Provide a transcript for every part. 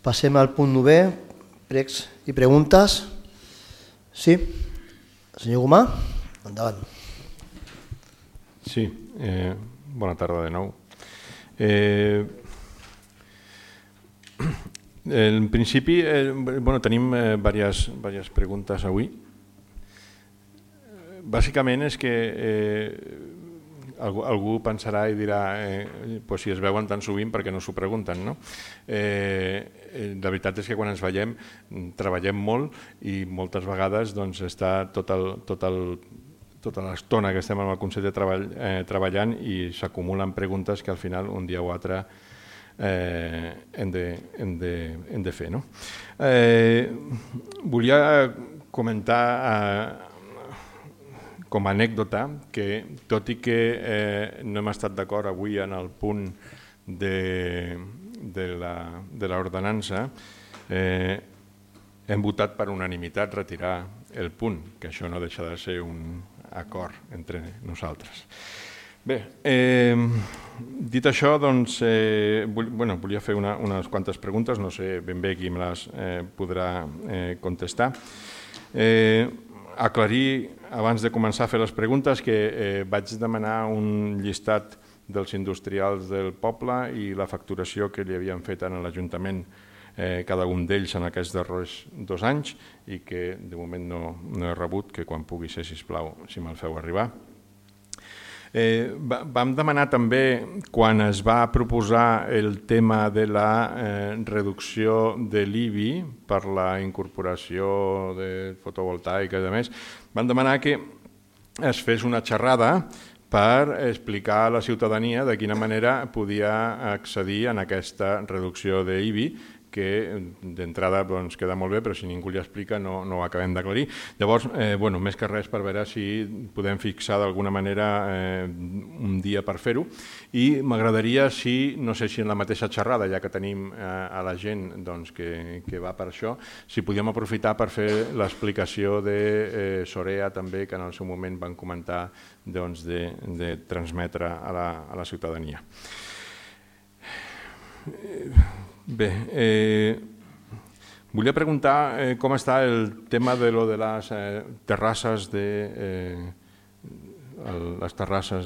Passem al punt 9, pregs i preguntes. Sí, senyor Gomà, endavant. Sí, bona tarda de nou. En principi, tenim diverses preguntes avui. Bàsicament és que algú pensarà i dirà si es veuen tan sovint perquè no s'ho pregunten, no? La veritat és que quan ens veiem treballem molt i moltes vegades està tota l'estona que estem amb el Consell de Treball treballant i s'acumulen preguntes que al final un dia o altre hem de fer. Volia comentar com a anècdota que, tot i que no hem estat d'acord avui en el punt de l'ordenança, hem votat per unanimitat retirar el punt, que això no deixa de ser un acord entre nosaltres. Bé, dit això, volia fer unes quantes preguntes, no sé ben bé qui me les podrà contestar. Aclarir, abans de començar a fer les preguntes, que vaig demanar un llistat dels industrials del poble i la facturació que li havien fet a l'Ajuntament cada un d'ells en aquests darrers 2 anys i que de moment no he rebut, que quan pugui ser, sisplau, si me'l feu arribar. Vam demanar també, quan es va proposar el tema de la reducció de l'IBI per la incorporació de fotovoltaica i demés, vam demanar que es fes una xerrada per explicar a la ciutadania de quina manera podia accedir a aquesta reducció d'IBI, que d'entrada queda molt bé, però si ningú li explica no ho acabem d'aclarir. Llavors, més que res per veure si podem fixar d'alguna manera un dia per fer-ho. I m'agradaria, no sé si en la mateixa xerrada, ja que tenim a la gent que va per això, si podíem aprofitar per fer l'explicació de Sorea també, que en el seu moment van comentar de transmetre a la ciutadania. Bé, volia preguntar com està el tema de les terrasses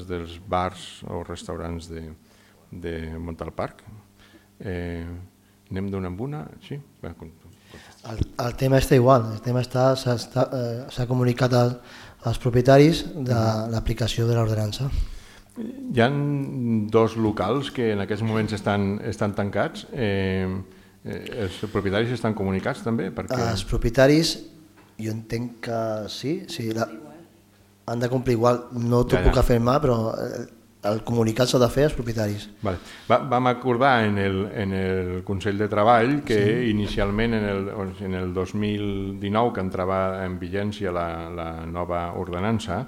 dels bars o restaurants de Montalparc. Anem d'una en una? Sí? El tema està igual, el tema s'ha comunicat als propietaris de l'aplicació de l'ordenança. Hi ha 2 locals que en aquests moments estan tancats. Els propietaris estan comunicats també? Els propietaris, jo entenc que sí, han de complir igual, no t'ho puc afirmar, però el comunicat s'ha de fer als propietaris. Vam acordar en el Consell de Treball que inicialment en el 2019, que entrava en vigència la nova ordenança,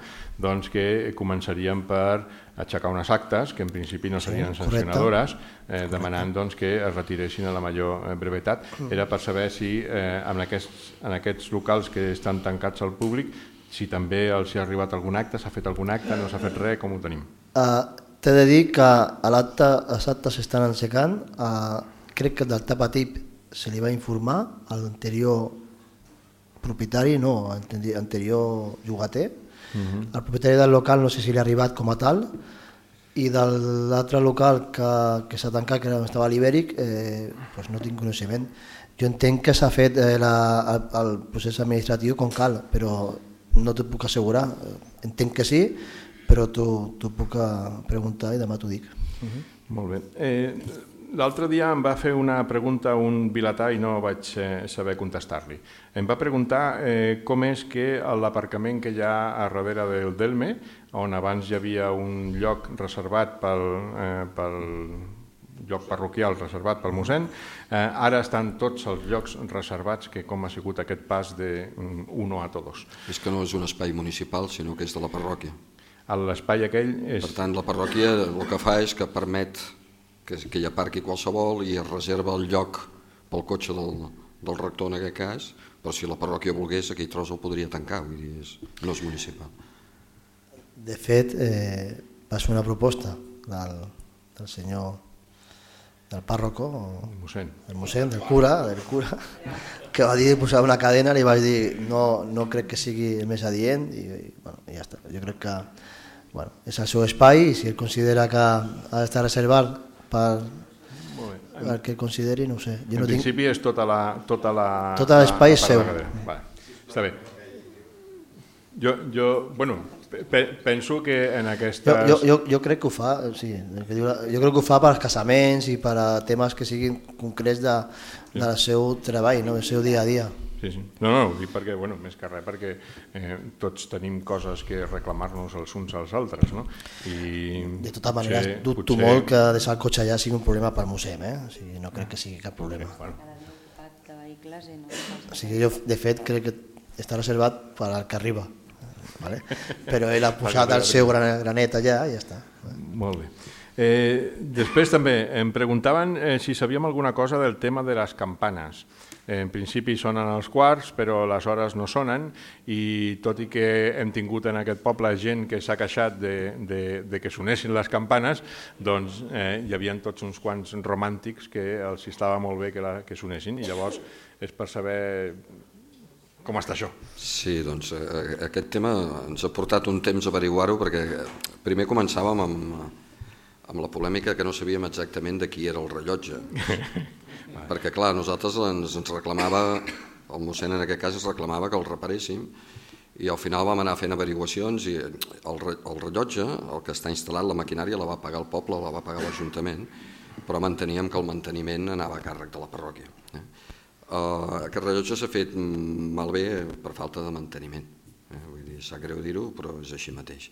que començaríem per aixecar unes actes, que en principi no serien sancionadores, demanant que es retiressin a la major brevetat. Era per saber si en aquests locals que estan tancats al públic, si també els ha arribat algun acte, s'ha fet algun acte, no s'ha fet res, com ho tenim? T'he de dir que els actes s'estan aixecant. Crec que del Tapatip se li va informar a l'anterior propietari, no, anterior llogater. El propietari del local no sé si li ha arribat com a tal, i de l'altre local que s'ha tancat, que estava a l'Ibèric, no tinc coneixement. Jo entenc que s'ha fet el procés administratiu com cal, però no t'ho puc assegurar. Entenc que sí, però t'ho puc preguntar i demà t'ho dic. Molt bé. L'altre dia em va fer una pregunta un vilatà i no vaig saber contestar-li. Em va preguntar com és que l'aparcament que hi ha a darrere del Delme, on abans hi havia un lloc reservat pel lloc parroquial reservat pel mossèn, ara estan tots els llocs reservats, que com ha sigut aquest pas d'uno a todos. És que no és un espai municipal, sinó que és de la parròquia. L'espai aquell és... Per tant, la parròquia el que fa és que permet que hi aparqui qualsevol i es reserva el lloc pel cotxe del rector en aquest cas, però si la parròquia volgués aquell tros el podria tancar, vull dir, no és municipal. De fet, va ser una proposta del senyor del párroco, el mossèn, del cura, que va dir posar una cadena, li vaig dir no crec que sigui el més adient i ja està. Jo crec que és el seu espai i si ell considera que ha d'estar reservat per el que consideri, no ho sé. En principi és tot l'espai és seu. Està bé. Penso que en aquestes... Jo crec que ho fa, sí, jo crec que ho fa per als casaments i per a temes que siguin concrets del seu treball, del seu dia a dia. Sí. No, ho dic perquè, més que res, perquè tots tenim coses que reclamar-nos els uns als altres, no? De totes maneres, dubto molt que deixar el cotxe allà sigui un problema per mossèn, no crec que sigui cap problema. Jo, de fet, crec que està reservat per al que arriba, però ell ha posat el seu granet allà i ja està. Molt bé. Després també em preguntaven si sabíem alguna cosa del tema de les campanes. En principi sonen els quarts, però les hores no sonen i tot i que hem tingut en aquest poble gent que s'ha queixat de que sonessin les campanes, doncs hi havia tots uns quants romàntics que els estava molt bé que sonessin i llavors és per saber com està això. Sí, doncs aquest tema ens ha portat un temps a averiguar-ho perquè primer començàvem amb la polèmica que no sabíem exactament de qui era el rellotge. Perquè, clar, nosaltres ens reclamava, el mossèn en aquest cas ens reclamava que el reparéssim i al final vam anar fent averiguacions i el rellotge, el que està instal·lat, la maquinària la va pagar el poble, la va pagar l'Ajuntament, però manteníem que el manteniment anava a càrrec de la parròquia. Aquest rellotge s'ha fet malbé per falta de manteniment. Vull dir, sap greu dir-ho, però és així mateix.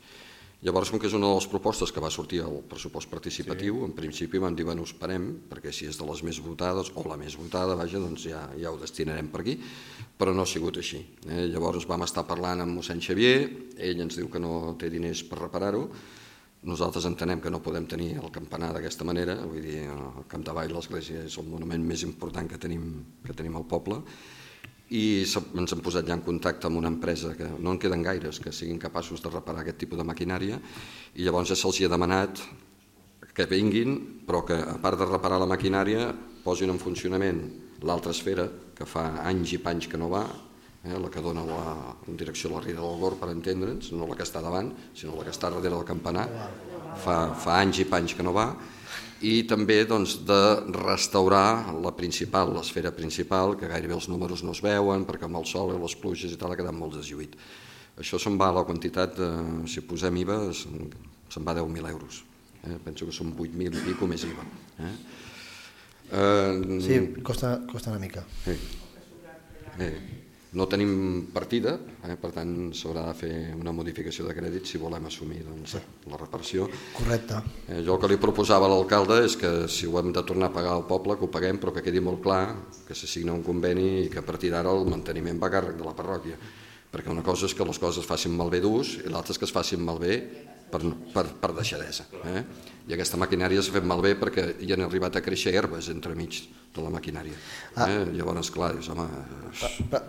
Llavors, com que és una de les propostes que va sortir al pressupost participatiu, en principi vam dir, bueno, esperem, perquè si és de les més votades, o la més votada, vaja, doncs ja ho destinarem per aquí, però no ha sigut així. Llavors vam estar parlant amb mossèn Xavier, ell ens diu que no té diners per reparar-ho, nosaltres entenem que no podem tenir el campanar d'aquesta manera, vull dir, el Capdavall, l'església és el monument més important que tenim al poble, i ens hem posat ja en contacte amb una empresa que no en queden gaires que siguin capaços de reparar aquest tipus de maquinària i llavors ja se'ls ha demanat que vinguin però que a part de reparar la maquinària posin en funcionament l'altra esfera que fa anys i panys que no va, la que dona en direcció a la Riera del Gor per entendre'ns, no la que està davant sinó la que està darrere del campanar, fa anys i panys que no va, i també de restaurar la principal, l'esfera principal, que gairebé els números no es veuen, perquè amb el sol i les pluges i tal ha quedat molt deslluït. Això se'n va a la quantitat, si posem IVA, se'n va a 10.000 euros. Penso que són 8.000 i pico més IVA. Sí, costa una mica. No tenim partida, per tant s'haurà de fer una modificació de crèdit si volem assumir la reparació. Correcte. Jo el que li proposava a l'alcalde és que si ho hem de tornar a pagar al poble, que ho paguem, però que quedi molt clar que s'assigna un conveni i que a partir d'ara el manteniment va a càrrec de la parròquia. Perquè una cosa és que les coses es facin malbé d'ús i l'altra és que es facin malbé per deixadesa. I aquesta maquinària s'ha fet malbé perquè hi han arribat a créixer herbes entremig de la maquinària. Llavors, clar, dius, home...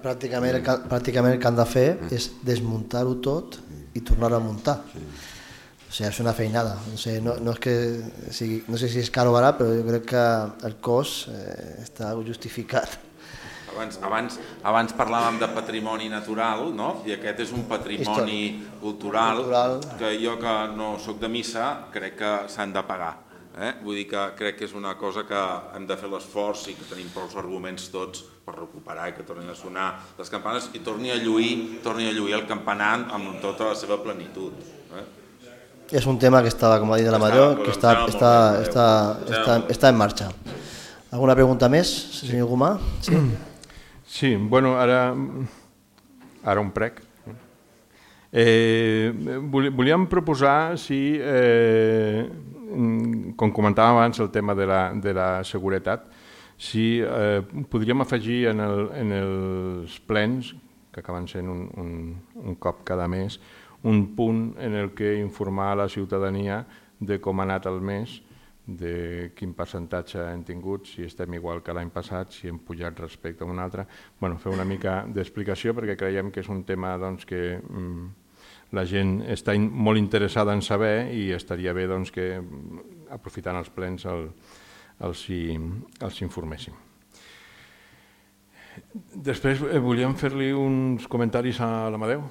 Pràcticament el que han de fer és desmuntar-ho tot i tornar-ho a muntar. O sigui, és una feinada. No sé si és car o barat, però jo crec que el cost està justificat. Abans parlàvem de patrimoni natural, no? I aquest és un patrimoni cultural que jo, que no soc de missa, crec que s'han de pagar. Vull dir que crec que és una cosa que hem de fer l'esforç i que tenim prou arguments tots per recuperar i que tornin a sonar les campanes i torni a lluir el campanar amb tota la seva plenitud. És un tema que estava, com ha dit la Major, que està en marxa. Alguna pregunta més, senyor Gomà? Sí? Sí, bueno, ara un prec. Volíem proposar si, com comentàvem abans el tema de la seguretat, si podríem afegir en els plens, que acaben sent un cop cada mes, un punt en el que informar a la ciutadania de com ha anat el mes, de quin percentatge hem tingut, si estem igual que l'any passat, si hem pujat respecte a un altre. Fer una mica d'explicació perquè creiem que és un tema que la gent està molt interessada en saber i estaria bé que, aprofitant els plens, els informéssim. Després volíem fer-li uns comentaris a l'Amadeu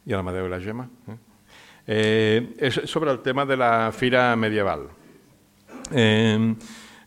i a l'Amadeu i la Gemma. És sobre el tema de la fira medieval.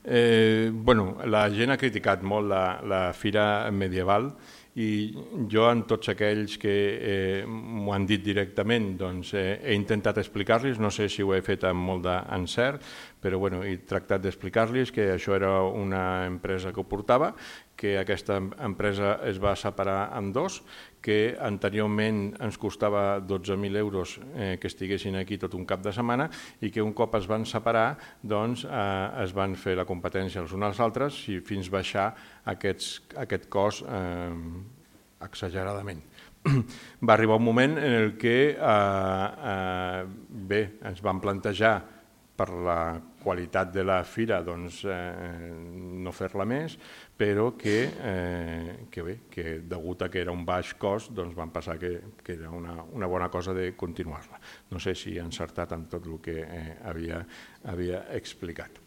La gent ha criticat molt la fira medieval i jo, en tots aquells que m'ho han dit directament, he intentat explicar-los, no sé si ho he fet amb molt d'encert, però he tractat d'explicar-los que això era una empresa que ho portava, que aquesta empresa es va separar en dos, que anteriorment ens costava 12.000 euros que estiguessin aquí tot un cap de setmana i que un cop es van separar es van fer la competència els uns als altres fins a baixar aquest cost exageradament. Va arribar un moment en el que ens van plantejar per la qualitat de la fira no fer-la més, però que degut a que era un baix cost van pensar que era una bona cosa de continuar-la. No sé si he encertat amb tot el que havia explicat.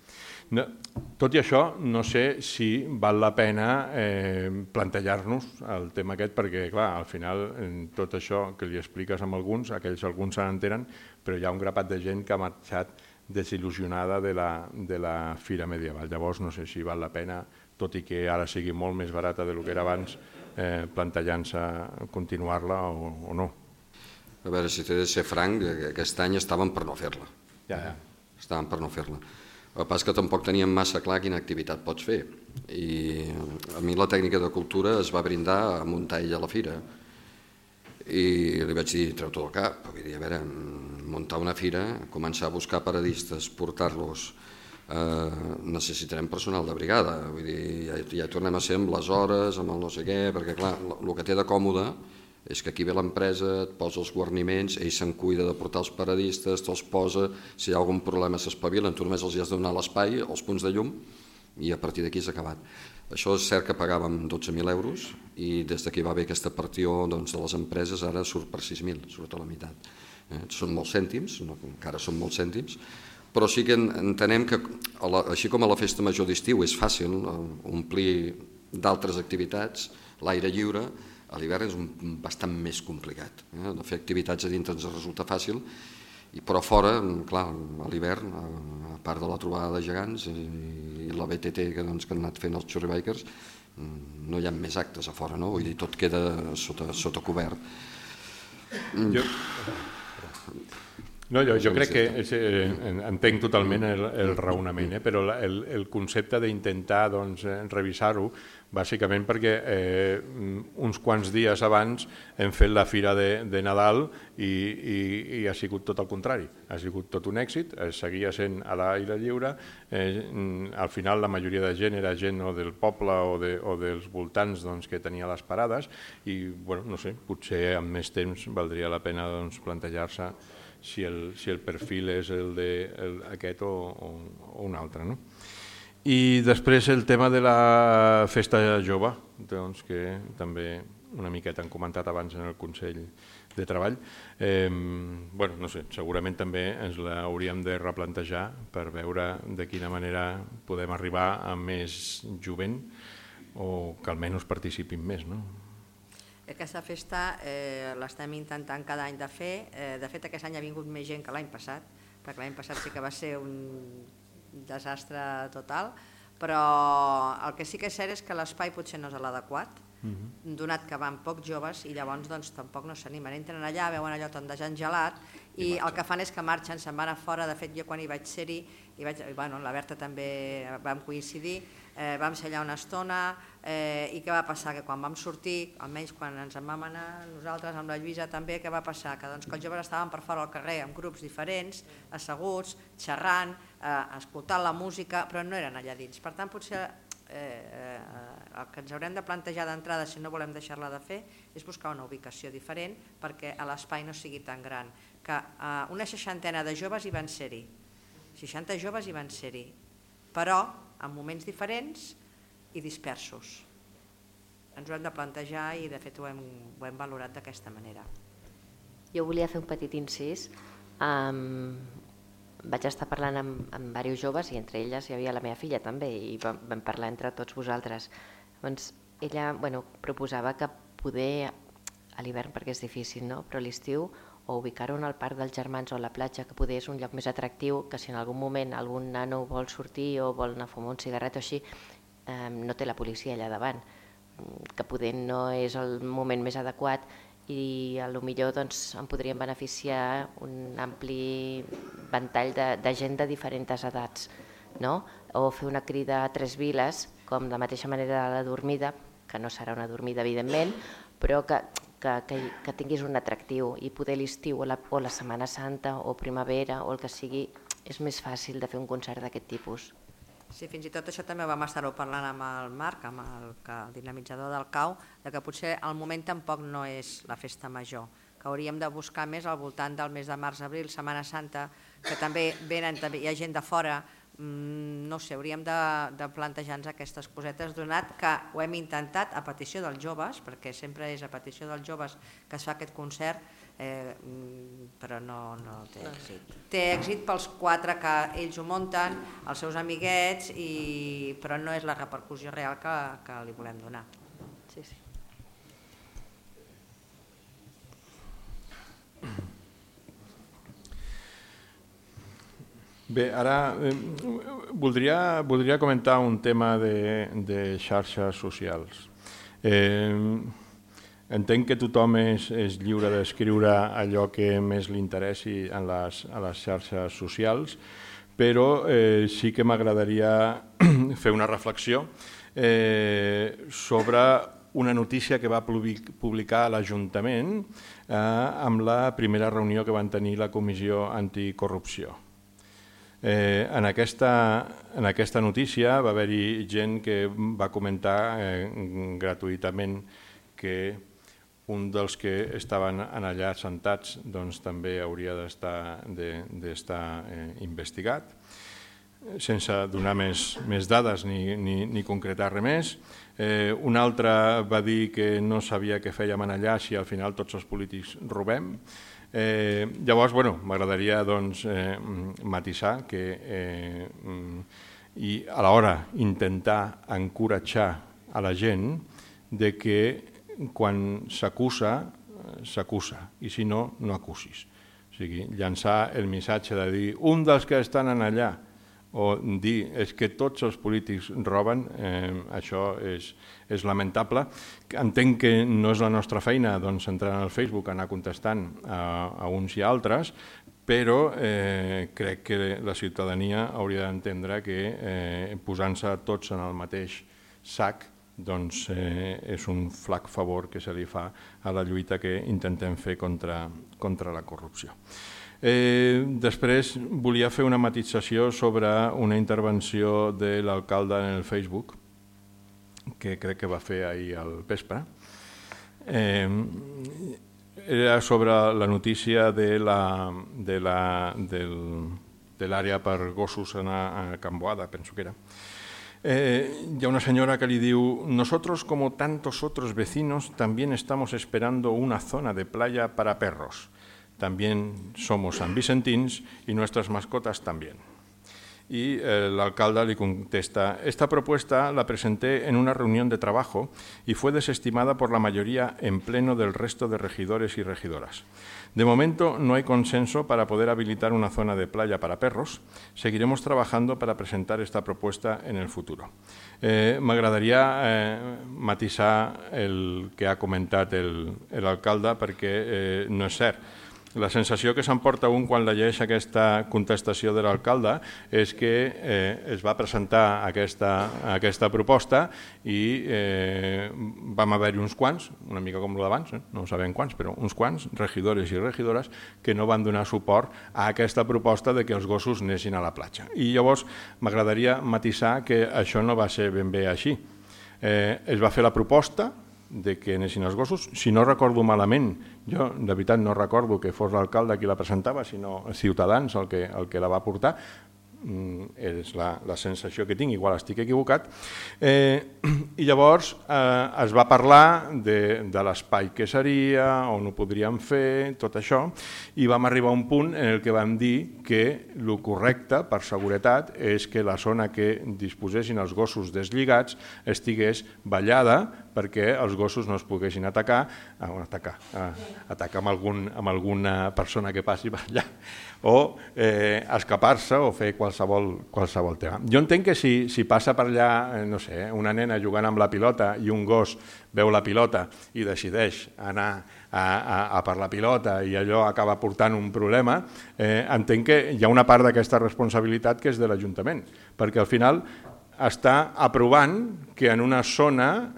Tot i això, no sé si val la pena plantejar-nos el tema aquest, perquè clar, al final tot això que li expliques amb alguns, aquells alguns se n'entenen, però hi ha un grapat de gent que ha marxat desil·lusionada de la fira medieval. Llavors no sé si val la pena, tot i que ara sigui molt més barata del que era abans, plantejant-se continuar-la o no. A veure, si t'he de ser franc, aquest any estaven per no fer-la. Estaven per no fer-la. El que passa és que tampoc teníem massa clar quina activitat pots fer. I a mi la tècnica de cultura es va brindar a muntar ella a la fira. I li vaig dir, treu-t'ho del cap. Vull dir, a veure, muntar una fira, començar a buscar paradistes, portar-los, necessitarem personal de brigada. Vull dir, ja tornem a ser amb les hores, amb el no sé què, perquè clar, el que té de còmode és que aquí ve l'empresa, et posa els guarniments, ell se'n cuida de portar els paradistes, te'ls posa, si hi ha algun problema s'espavilen, tu només els hi has de donar l'espai, els punts de llum, i a partir d'aquí s'ha acabat. Això és cert que pagàvem 12.000 euros i des que va haver aquesta partió de les empreses ara surt per 6.000, surt a la meitat. Són molts cèntims, encara són molts cèntims, però sí que entenem que, així com a la festa major d'estiu és fàcil omplir d'altres activitats, l'aire lliure, a l'hivern és bastant més complicat. De fer activitats a dintre ens resulta fàcil, però fora, clar, a l'hivern, a part de la trobada de gegants i la BTT que han anat fent els Churribikers, no hi ha més actes a fora, no? Vull dir, tot queda sota cobert. Jo crec que entenc totalment el raonament, però el concepte d'intentar revisar-ho, bàsicament perquè uns quants dies abans hem fet la fira de Nadal i ha sigut tot el contrari. Ha sigut tot un èxit, seguia sent a l'aire lliure, al final la majoria de gent era gent o del poble o dels voltants que tenia les parades i, no sé, potser amb més temps valdria la pena plantejar-se si el perfil és aquest o un altre. I després el tema de la festa jove, que també una miqueta han comentat abans en el Consell de Treball. No sé, segurament també ens l'hauríem de replantejar per veure de quina manera podem arribar a més jovent o que almenys participin més, no? Aquesta festa l'estem intentant cada any de fer. De fet, aquest any ha vingut més gent que l'any passat, perquè l'any passat sí que va ser un desastre total, però el que sí que és cert és que l'espai potser no és l'adequat, donat que van pocs joves i llavors tampoc no s'animen. Entren allà, veuen allò tan desengelat i el que fan és que marxen, se'n van a fora. De fet, jo quan hi vaig ser-hi, la Berta també vam coincidir, vam ser allà una estona i què va passar? Que quan vam sortir, almenys quan ens en vam anar nosaltres amb la Lluïsa també, què va passar? Que els joves estaven per fora al carrer amb grups diferents, asseguts, xerrant, escoltant la música, però no eren allà dins. Per tant, potser el que ens haurem de plantejar d'entrada, si no volem deixar-la de fer, és buscar una ubicació diferent perquè l'espai no sigui tan gran. Que una 60 de joves hi van ser-hi, 60 joves hi van ser-hi, però en moments diferents i dispersos. Ens ho hem de plantejar i de fet ho hem valorat d'aquesta manera. Jo volia fer un petit incís. vaig estar parlant amb diversos joves i entre elles hi havia la meva filla també i vam parlar entre tots vosaltres. Llavors ella proposava que poder a l'hivern perquè és difícil, però a l'estiu o ubicar-ho al Parc dels Germans o a la platja, que poder és un lloc més atractiu, que si en algun moment algun nano vol sortir o vol anar a fumar un cigarret o així, no té la policia allà davant, que poder no és el moment més adequat i potser en podrien beneficiar un ampli ventall de gent de diferents edats, o fer una crida a 3 viles, com de mateixa manera la dormida, que no serà una dormida evidentment, però que tinguis un atractiu i poder l'estiu o la Setmana Santa o primavera o el que sigui, és més fàcil de fer un concert d'aquest tipus. Sí, fins i tot això també vam estar-ho parlant amb el Marc, amb el dinamitzador del CAU, que potser al moment tampoc no és la festa major, que hauríem de buscar més al voltant del mes de març-abril, Setmana Santa, que també hi ha gent de fora, no sé, hauríem de plantejar-nos aquestes cosetes, donat que ho hem intentat a petició dels joves, perquè sempre és a petició dels joves que es fa aquest concert, però no té èxit. Té èxit pels 4 que ells ho munten, els seus amiguets, però no és la repercussió real que li volem donar. Sí. Bé, ara voldria comentar un tema de xarxes socials. Entenc que tothom és lliure d'escriure allò que més li interessi a les xarxes socials, però sí que m'agradaria fer una reflexió sobre una notícia que va publicar l'Ajuntament amb la primera reunió que van tenir la Comissió Anticorrupció. En aquesta notícia va haver-hi gent que va comentar gratuïtament que un dels que estaven allà sentats també hauria d'estar investigat, sense donar més dades ni concretar res més. Un altre va dir que no sabia què fèiem allà si al final tots els polítics robem. Llavors, m'agradaria matisar i alhora intentar encoratjar a la gent de que quan s'acusa, s'acusa, i si no, no acusis. O sigui, llançar el missatge de dir un dels que estan allà o dir és que tots els polítics roben, això és lamentable. Entenc que no és la nostra feina entrar en el Facebook, anar contestant a uns i altres, però crec que la ciutadania hauria d'entendre que posant-se tots en el mateix sac és un flac favor que se li fa a la lluita que intentem fer contra la corrupció. Després volia fer una matisació sobre una intervenció de l'alcalde en el Facebook, que crec que va fer ahir al vespre. Era sobre la notícia de l'àrea per gossos a Can Boada, penso que era. Hi ha una señora que le diu: nosotros como tantos otros vecinos también estamos esperando una zona de playa para perros. También somos sanvicentins y nuestras mascotas también. Y el alcalde le contesta: esta propuesta la presenté en una reunión de trabajo y fue desestimada por la mayoría en pleno del resto de regidores y regidoras. De momento no hay consenso para poder habilitar una zona de playa para perros. Seguiremos trabajando para presentar esta propuesta en el futuro. M'agradaria matisar el que ha comentat l'alcalde perquè no és cert. La sensació que s'emporta un quan llegeix aquesta contestació de l'alcalde és que es va presentar aquesta proposta i vam haver-hi uns quants, una mica com l'abans, no sabem quants, però uns quants, regidores i regidores, que no van donar suport a aquesta proposta de que els gossos anessin a la platja. I llavors m'agradaria matisar que això no va ser ben bé així. Es va fer la proposta de que anessin els gossos. Si no recordo malament, jo de veritat no recordo que fos l'alcalde qui la presentava, sinó Ciutadans el que la va portar, és la sensació que tinc, igual estic equivocat, i llavors es va parlar de l'espai que seria, on ho podríem fer, tot això, i vam arribar a un punt en el que vam dir que el correcte, per seguretat, és que la zona que disposessin els gossos deslligats estigués ballada perquè els gossos no es poguessin atacar amb alguna persona que passi per allà, o escapar-se o fer qualsevol tema. Jo entenc que si passa per allà, no sé, una nena jugant amb la pilota i un gos veu la pilota i decideix anar a per la pilota i allò acaba portant un problema, entenc que hi ha una part d'aquesta responsabilitat que és de l'Ajuntament, perquè al final està aprovant que en una zona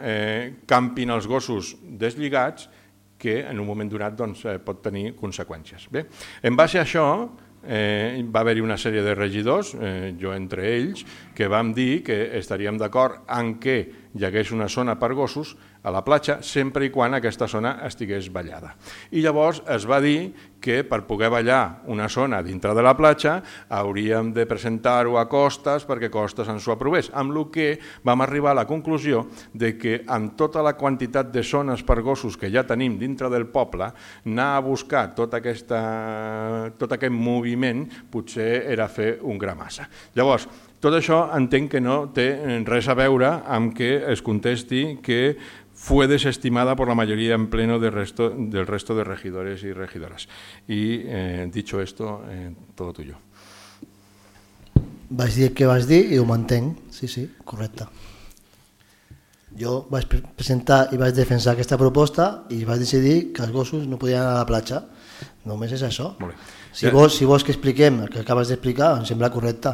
campin els gossos deslligats que en un moment donat pot tenir conseqüències. Bé, en base a això va haver-hi una sèrie de regidors, jo entre ells, que vam dir que estaríem d'acord en què hi hagués una zona per gossos a la platja sempre i quan aquesta zona estigués ballada. I llavors es va dir que per poder ballar una zona dintre de la platja hauríem de presentar-ho a Costes perquè Costes ens ho aprovés, amb el que vam arribar a la conclusió de que amb tota la quantitat de zones per gossos que ja tenim dintre del poble, anar a buscar tot aquest moviment potser era fer un gra massa. Llavors, tot això entenc que no té res a veure amb que es contesti que fue desestimada por la mayoría en pleno del resto de regidores y regidoras. Y dicho esto, todo tuyo. Vaig dir el que vas dir i ho mantenc, sí, correcte. Jo vaig presentar i vaig defensar aquesta proposta i vaig decidir que els gossos no podien anar a la platja. Només és això. Si vols que expliquem el que acabes d'explicar, em sembla correcte.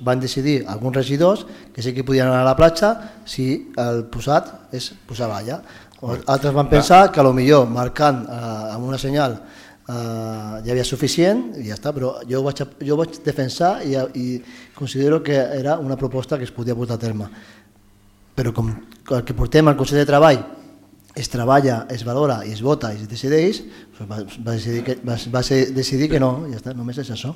Van decidir alguns regidors que sí que podien anar a la platja si el posat és posar valla. Altres van pensar que potser marcant amb una senyal ja havia suficient i ja està, però jo vaig defensar i considero que era una proposta que es podia portar a terme. Però com el que portem al Consell de Treball es treballa, es valora i es vota i es decideix, va decidir que no, ja està, només és això.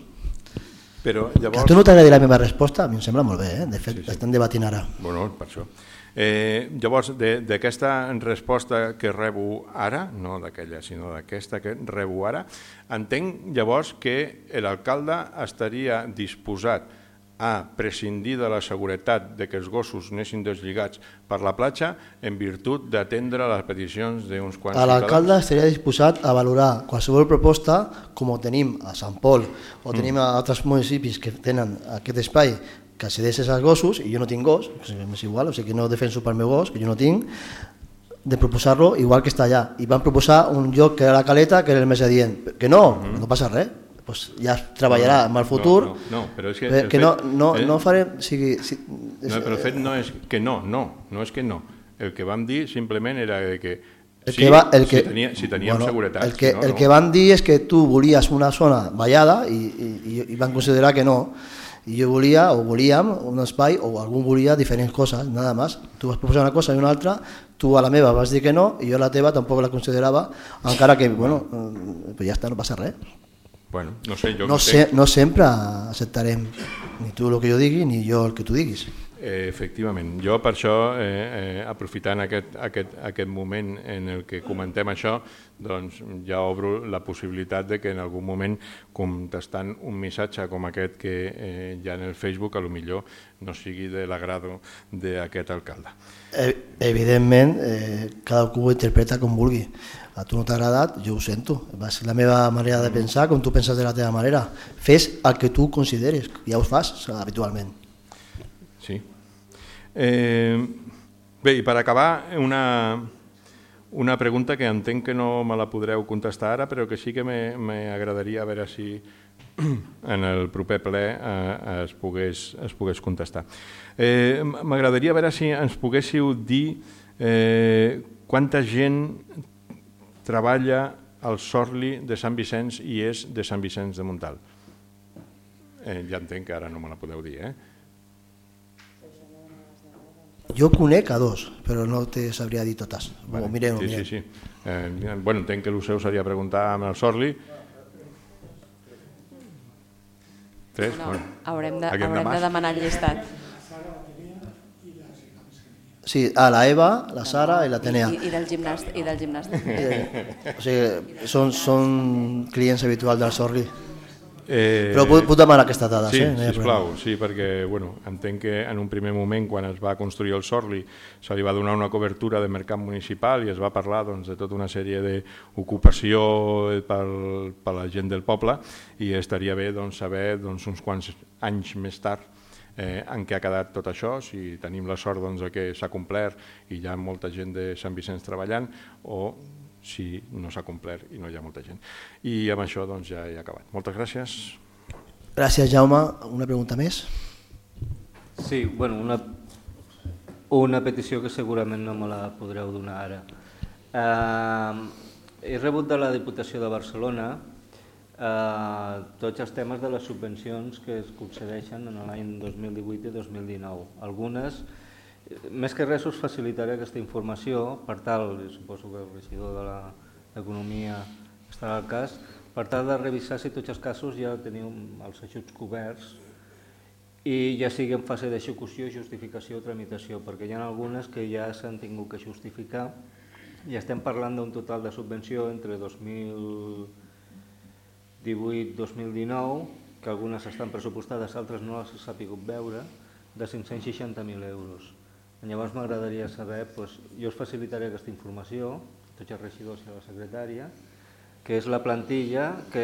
Però llavors... Que a tu no t'agradi la meva resposta, a mi em sembla molt bé, de fet, estem debatint ara. Bueno, per això. Llavors, d'aquesta resposta que rebo ara, no d'aquella, sinó d'aquesta que rebo ara, entenc llavors que l'alcalde estaria disposat a prescindir de la seguretat de que els gossos anessin deslligats per la platja en virtut d'atendre les peticions d'uns quants ciutadans. L'alcalde estaria disposat a valorar qualsevol proposta, com ho tenim a Sant Pol o tenim a altres municipis que tenen aquest espai que cedeixes als gossos, i jo no tinc gos, és igual, o sigui que no defenso pel meu gos, que jo no tinc, de proposar-lo igual que està allà. I van proposar un lloc que era la Caleta, que era el més adient. Que no passa res. Ja es treballarà en el futur, però és que no farem... Però el fet no és que no és que no. El que vam dir simplement era que si teníem seguretat. El que van dir és que tu volies una zona vallada i van considerar que no. I jo volíem un espai, o algú volia diferents coses, nada más. Tu vas proposar una cosa i una altra, tu a la meva vas dir que no, i jo a la teva tampoc la considerava, encara que, bueno, ja està, no passa res. Bueno, no sé, no sempre acceptarem ni tu el que jo digui ni jo el que tu diguis. Efectivament, jo per això, aprofitant aquest moment en el que comentem això, doncs ja obro la possibilitat de que en algun moment, contestant un missatge com aquest que hi ha en el Facebook, a lo millor no sigui de l'agrado d'aquest alcalde. Evidentment, cadascú ho interpreta com vulgui. A tu no t'ha agradat, jo ho sento. Va ser la meva manera de pensar, com tu penses de la teva manera. Fes el que tu consideres, ja ho fas habitualment. Sí. Bé, i per acabar, una pregunta que entenc que no me la podreu contestar ara, però que sí que m'agradaria a veure si en el proper ple es pogués contestar. M'agradaria veure si ens poguéssiu dir quanta gent treballa al Sorli de Sant Vicenç i és de Sant Vicenç de Montalt. Ja entenc que ara no me la podeu dir, Jo conec a dos, però no te sabria dir totes. Ho mirem. Sí. Bueno, entenc que el seu seria preguntar amb el Sorli. 3? Haurem de demanar el llistat. Sí, la Eva, la Sara i l'Atenea. I del gimnàstic. O sigui, són clients habituals del Sorli. Però puc demanar aquestes dades, sí, eh? Sisplau, sí, perquè entenc que en un primer moment, quan es va construir el Sorli, se li va donar una cobertura de mercat municipal i es va parlar de tota una sèrie d'ocupació per la gent del poble, i estaria bé saber uns quants anys més tard en què ha quedat tot això, si tenim la sort que s'ha complert i hi ha molta gent de Sant Vicenç treballant, o si no s'ha complert i no hi ha molta gent. I amb això ja he acabat. Moltes gràcies. Gràcies, Jaume. Una pregunta més? Sí, bueno, una petició que segurament no me la podreu donar ara. He rebut de la Diputació de Barcelona tots els temes de les subvencions que es concedeixen en l'any 2018 i 2019. Algunes, més que res, us facilitaré aquesta informació per tal, suposo que el regidor d'Economia estarà al cas, per tal de revisar si tots els casos ja teniu els ajuts coberts i ja sigui en fase d'execució, justificació o tramitació, perquè hi ha algunes que ja s'han tingut que justificar i estem parlant d'un total de subvenció entre 2018-2019, que algunes estan pressupostades, altres no les s'ha pogut veure, de 560.000 euros. Llavors m'agradaria saber, jo us facilitaré aquesta informació, tots els regidors i la secretària, que és la plantilla que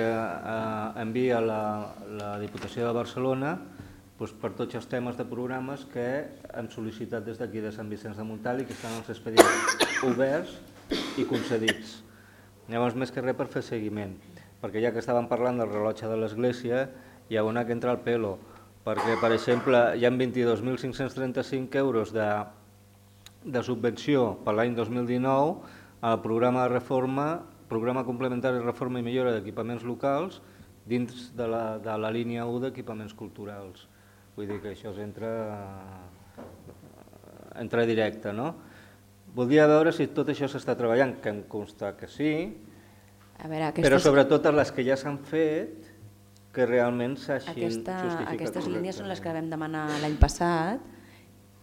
envia la Diputació de Barcelona per tots els temes de programes que hem sol·licitat des d'aquí de Sant Vicenç de Montalt i que estan els expedients oberts i concedits. Llavors, més que res per fer seguiment, perquè ja que estàvem parlant del rellotge de l'Església, hi ha una que entra al pelo, perquè, per exemple, hi ha 22.535 euros de subvenció per l'any 2019 al programa de reforma, programa complementari de reforma i millora d'equipaments locals dins de la línia 1 d'equipaments culturals. Vull dir que això entra directe, no? Voldria veure si tot això s'està treballant, que em consta que sí, però sobretot les que ja s'han fet, que realment s'hagin justificat. Aquestes línies són les que vam demanar l'any passat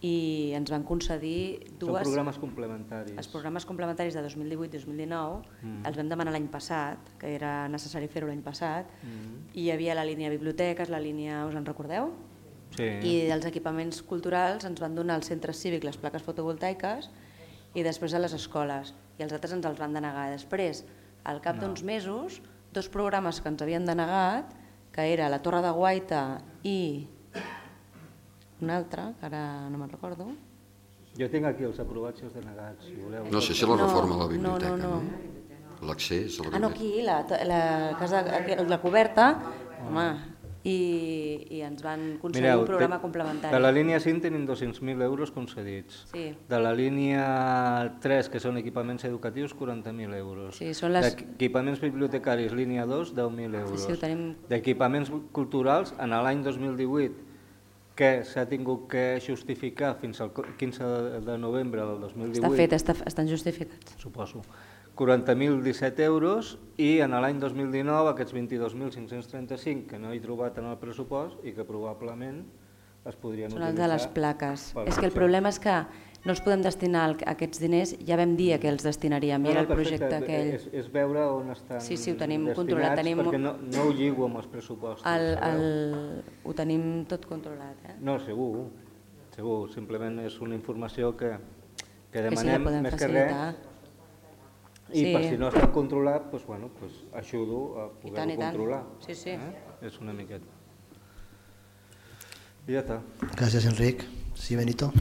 i ens van concedir dues... Són programes complementaris. Els programes complementaris de 2018-2019 els vam demanar l'any passat, que era necessari fer-ho l'any passat, i hi havia la línia biblioteques, la línia, us en recordeu? Sí. I dels equipaments culturals ens van donar al centre cívic les plaques fotovoltaiques i després a les escoles, i els altres ens els van denegar. Després, al cap d'uns mesos, dos programes que ens havien denegat, que era la Torre de Guaita i un altre, que ara no me'n recordo. Jo tinc aquí els aprovats i els denegats, si voleu. No sé si la reforma de la biblioteca, no? L'accés a la biblioteca. No, aquí, la coberta, home, i ens van concedir un programa complementari. De la línia 5 tenim 200.000 euros concedits. Sí. De la línia 3, que són equipaments educatius, 40.000 euros. Sí, són les... D'equipaments bibliotecaris, línia 2, 10.000 euros. Sí, ho tenim... D'equipaments culturals, en l'any 2018, que s'ha tingut que justificar fins al 15 de novembre del 2018... Està fet, estan justificats. Suposo. 40.017 euros, i en l'any 2019 aquests 22.535 que no he trobat en el pressupost i que probablement es podrien utilitzar... Són els de les plaques. És que el problema és que no els podem destinar a aquests diners, ja vam dir que els destinaríem, i era el projecte aquell. És veure on estan ho tenim destinats, controlat, perquè no ho lligo amb els pressupostos. Ho tenim tot controlat. No, segur, simplement és una informació que demanem més que res. I per si no està controlat, ajudo a poder-ho controlar. Sí. És una miqueta. Y ya está. Gracias, Enric. Sí, Benito.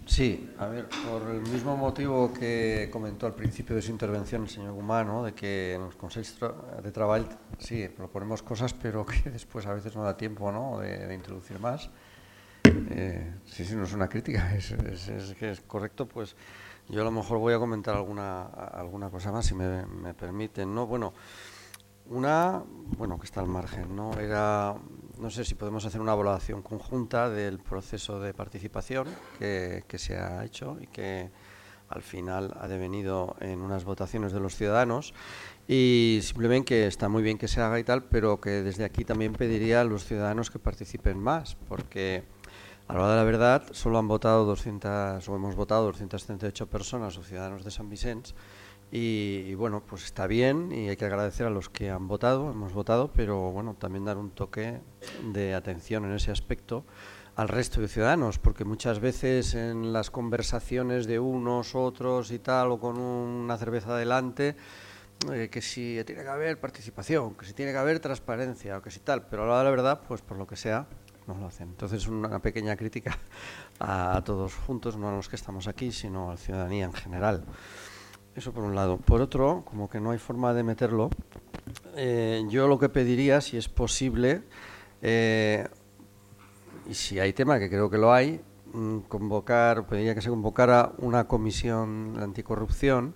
Sí, a ver, por el mismo motivo que comentó al principio de su intervención el señor Gumá, ¿no? De que en los consejos de trabajo sí proponemos cosas, pero que después a veces no da tiempo, ¿no? de introducir más. Sí, no es una crítica, es que es correcto, pues yo a lo mejor voy a comentar alguna cosa más, si me permiten, ¿no? Bueno, que está al margen, ¿no? No sé si podemos hacer una evaluación conjunta del proceso de participación que se ha hecho y que al final ha devenido en unas votaciones de los ciudadanos, y simplemente que está muy bien que se haga y tal, pero que desde aquí también pediría a los ciudadanos que participen más, porque a la hora de la verdad solo hemos votado 238 personas o ciudadanos de Sant Vicenç, y bueno, pues está bien y hay que agradecer a los que han votado, hemos votado, pero bueno, también dar un toque de atención en ese aspecto al resto de ciudadanos, porque muchas veces en las conversaciones de unos, otros y tal, o con una cerveza delante, que si tiene que haber participación, que si tiene que haber transparencia, o que si tal, pero a la hora de la verdad, pues por lo que sea, no lo hacen. Entonces, una pequeña crítica a todos juntos, no a los que estamos aquí, sino a la ciudadanía en general. Eso por un lado. Por otro, como que no hay forma de meterlo, yo lo que pediría, si es posible, y si hay tema, que creo que lo hay, pediría que se convocara una comisión de anticorrupción,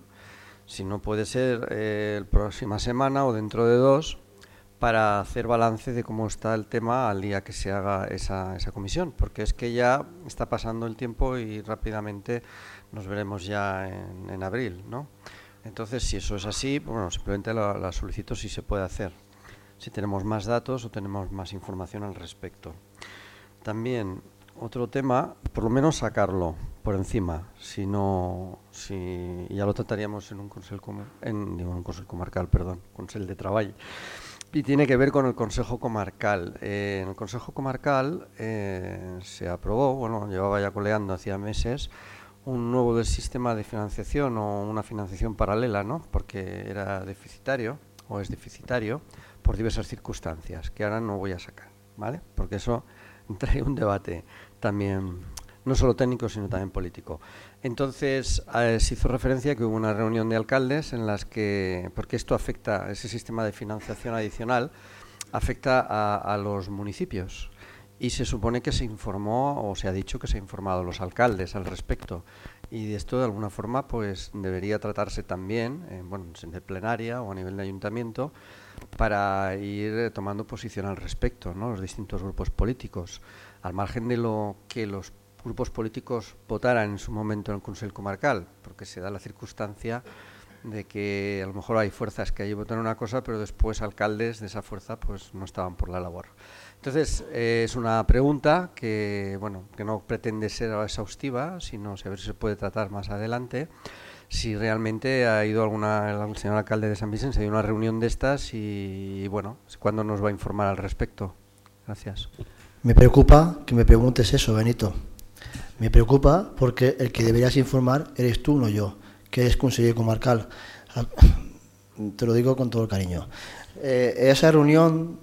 si no puede ser la próxima semana o dentro de 2, para hacer balance de cómo está el tema al día que se haga esa comisión, porque es que ya está pasando el tiempo y rápidamente nos veremos ya en abril, ¿no? Entonces, si eso es así, bueno, simplemente la solicito si se puede hacer, si tenemos más datos o tenemos más información al respecto. También otro tema, por lo menos sacarlo por encima, si ya lo trataríamos en un consell comarcal, consell de treball, y tiene que ver con el Consejo Comarcal. En el Consejo Comarcal se aprobó, bueno, llevaba ya coleando hacía meses, un nuevo sistema de financiación o una financiación paralela, ¿no? Porque era deficitario o es deficitario por diversas circunstancias que ahora no voy a sacar, ¿vale? Porque eso trae un debate también, no solo técnico, sino también político. Entonces, se hizo referencia que hubo una reunión de alcaldes en las que, porque esto afecta, ese sistema de financiación adicional, afecta a los municipios. Y se supone que se informó, o se ha dicho que se ha informado a los alcaldes al respecto. Y de esto, de alguna forma, pues debería tratarse también, en plenaria o a nivel de ayuntamiento, para ir tomando posición al respecto, ¿no? Los distintos grupos políticos. Al margen de lo que los grupos políticos votaran en su momento en el Consell Comarcal, porque se da la circunstancia de que a lo mejor hay fuerzas que allí votan una cosa, pero después alcaldes de esa fuerza pues no estaban por la labor. Entonces, es una pregunta que, bueno, que no pretende ser exhaustiva, sino a ver si se puede tratar más adelante. Si realmente ha ido el señor alcalde de Sant Vicenç, ha ido a una reunión de estas y, bueno, ¿cuándo nos va a informar al respecto? Gracias. Me preocupa que me preguntes eso, Benito. Me preocupa porque el que deberías informar eres tú, no yo, que eres conseller comarcal. Te lo digo con todo el cariño. A esa reunión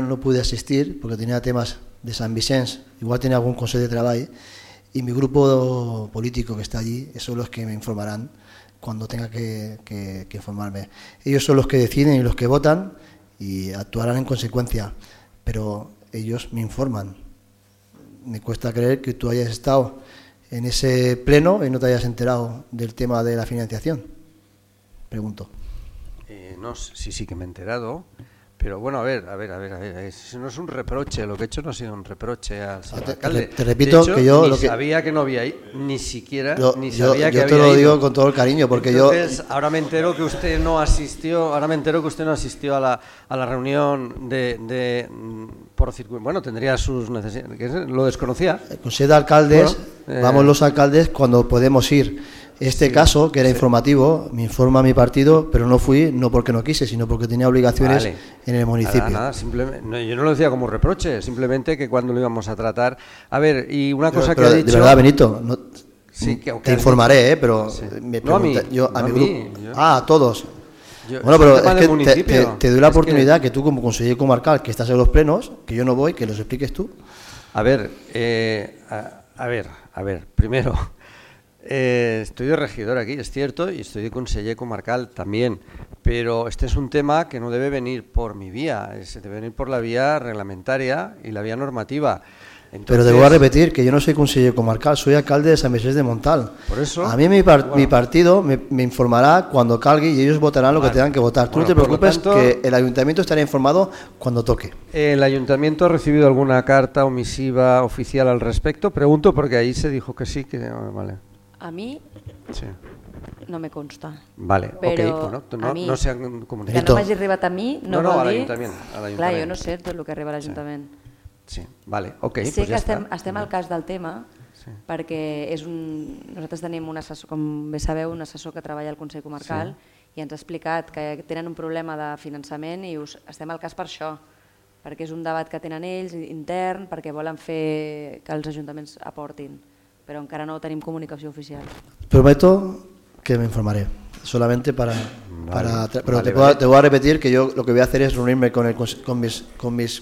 no pude asistir porque tenía temas de Sant Vicenç, igual tenía algún consejo de trabajo, y mi grupo político que está allí, esos son los que me informarán cuando tenga que informarme. Ellos son los que deciden y los que votan y actuarán en consecuencia, pero ellos me informan. Me cuesta creer que tú hayas estado en ese pleno y no te hayas enterado del tema de la financiación. Pregunto. No, sí que me he enterado, pero bueno, a ver, eso no es un reproche, lo que he hecho no ha sido un reproche al señor alcalde. Te repito, de hecho, que yo ni sabía que no había ido, ni siquiera sabía que había ido. Yo te lo digo con todo el cariño, porque entonces, ahora me entero que usted no asistió, a la reunión por circuito. Bueno, tendría sus necesidades, lo desconocía. El Consejo de Alcaldes, vamos los alcaldes cuando podemos ir. Caso, que era informativo, me informa mi partido, pero no fui, no porque no quise, sino porque tenía obligaciones en el municipio. Nada, simplemente, yo no lo decía como reproche, simplemente que cuando lo íbamos a tratar. A ver, y una cosa que ha dicho... De verdad, Benito, te informaré, pero sí. Me no, pregunta, a mi grupo... A todos. Bueno, pero es que te doy la oportunidad que tú como conseller comarcal, que estás en los plenos, que yo no voy, que los expliques tú. A ver, primero... estoy de regidor aquí, es cierto, y estoy de conseller comarcal también, pero este es un tema que no debe venir por mi vía, debe venir por la vía reglamentaria y la vía normativa. Entonces, pero debo repetir que yo no soy conseller comarcal, soy alcalde de Sant Vicenç de Montal. Por eso, a mí mi partido me informará cuando calgue y ellos votarán lo que tengan que votar. Tú no te preocupes, que el ayuntamiento estará informado cuando toque. ¿El ayuntamiento ha recibido alguna carta o misiva oficial al respecto? Pregunto porque ahí se dijo que sí, que vale. A mi no me consta. Vale, però ok, no s'han comunicat. Que no m'hagi arribat a mi no vol dir... a l'Ajuntament. Clar, jo no sé tot el que arriba a l'Ajuntament. Sí, vale, ok, sé pues que ja està. estem al cas del tema perquè nosaltres tenim un assessor, com bé sabeu, un assessor que treballa al Consell Comarcal i ens ha explicat que tenen un problema de finançament i estem al cas per això, perquè és un debat que tenen ells intern, perquè volen fer que els ajuntaments aportin, però encara no tenim comunicació oficial. Prometo que me informaré, solamente para pero te voy a repetir que yo lo que voy a hacer es reunirme con mis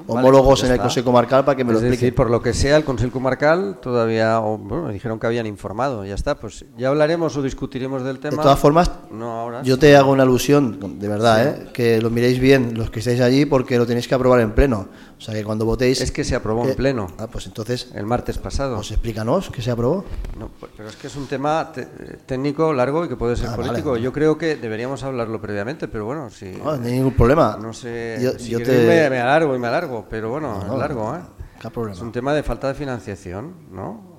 homólogos en el Consejo Comarcal para que me lo expliquen. Es decir, por lo que sea, el Consejo Comarcal todavía, bueno, me dijeron que habían informado, ya está, pues ya hablaremos o discutiremos del tema. De todas formas, yo te hago una alusión, de verdad, que lo miréis bien los que estáis allí porque lo tenéis que aprobar en pleno. O sea, que cuando votéis... Es que se aprobó en pleno. Pues entonces... El martes pasado. Pues explícanos que se aprobó. No, pero es que es un tema técnico, largo y que puede ser político. Vale. Yo creo que deberíamos hablarlo previamente, pero bueno, si... No hay ningún problema. No sé, si me alargo, pero bueno, es largo, problema. Es un tema de falta de financiación, ¿no?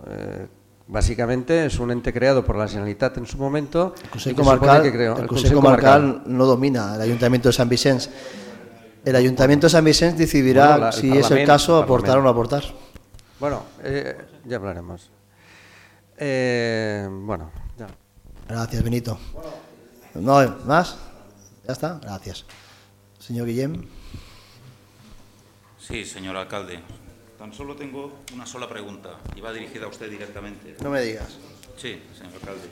Básicamente es un ente creado por la Generalitat en su momento. El Consejo Comarcal no domina el Ayuntamiento de San Vicente. El Ayuntamiento de San Vicente decidirá si es el caso aportar o no aportar. Bueno, ya hablaremos. Bueno, ya. Gracias, Benito. ¿No más? ¿Ya está? Gracias. Señor Guillem. Sí, señor alcalde. Tan solo tengo una sola pregunta y va dirigida a usted directamente. No me digas. Sí, señor alcalde.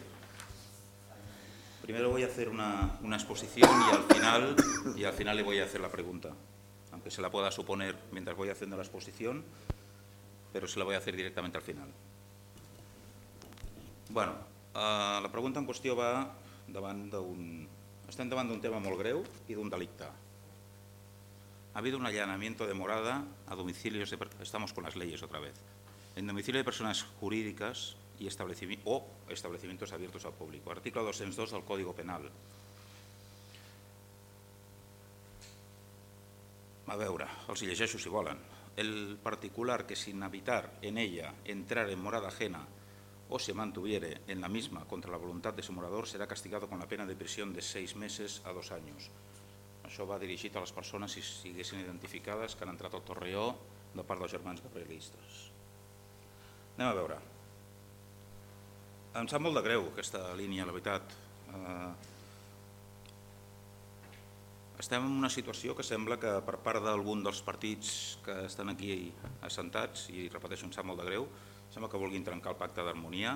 Primero voy a hacer una exposición y al final le voy a hacer la pregunta. Aunque se la pueda suponer mientras voy haciendo la exposición, pero se la voy a hacer directamente al final. Bueno, la pregunta en qüestió va estem davant d'un tema molt greu i d'un delicte. Ha habido un allanamiento de morada a domicilios estamos con las leyes otra vez, en domicilio de personas jurídicas y establecimientos abiertos al público. Artículo 202 del Código Penal. A veure, els hi llegeixo si volen. El particular que sin habitar en ella entrar en morada ajena o se mantuviere en la misma contra la voluntad de su morador será castigado con la pena de prisión de 6 meses a 2 años. Això va dirigit a les persones, si siguessin identificades, que han entrat al Torreó de part dels germans gabrielistes. Anem a veure. Em sap molt de greu aquesta línia, la veritat. Estem en una situació que sembla que per part d'algun dels partits que estan aquí assentats, i repeteixo, em sap molt de greu, sembla que vulguin trencar el pacte d'harmonia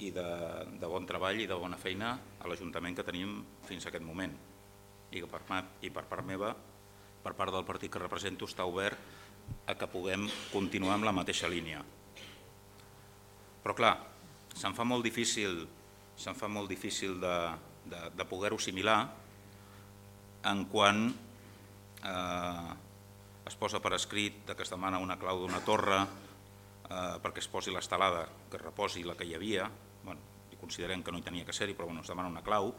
i de bon treball i de bona feina a l'Ajuntament que tenim fins a aquest moment. I per part meva, per part del partit que represento, està obert a que puguem continuar amb la mateixa línia. Però clar, se'm fa molt difícil de poder-ho assimilar en quan es posa per escrit que es demana una clau d'una torre perquè es posi l'estelada, que es reposi la que hi havia, i considerem que no hi tenia que ser-hi, però es demana una clau.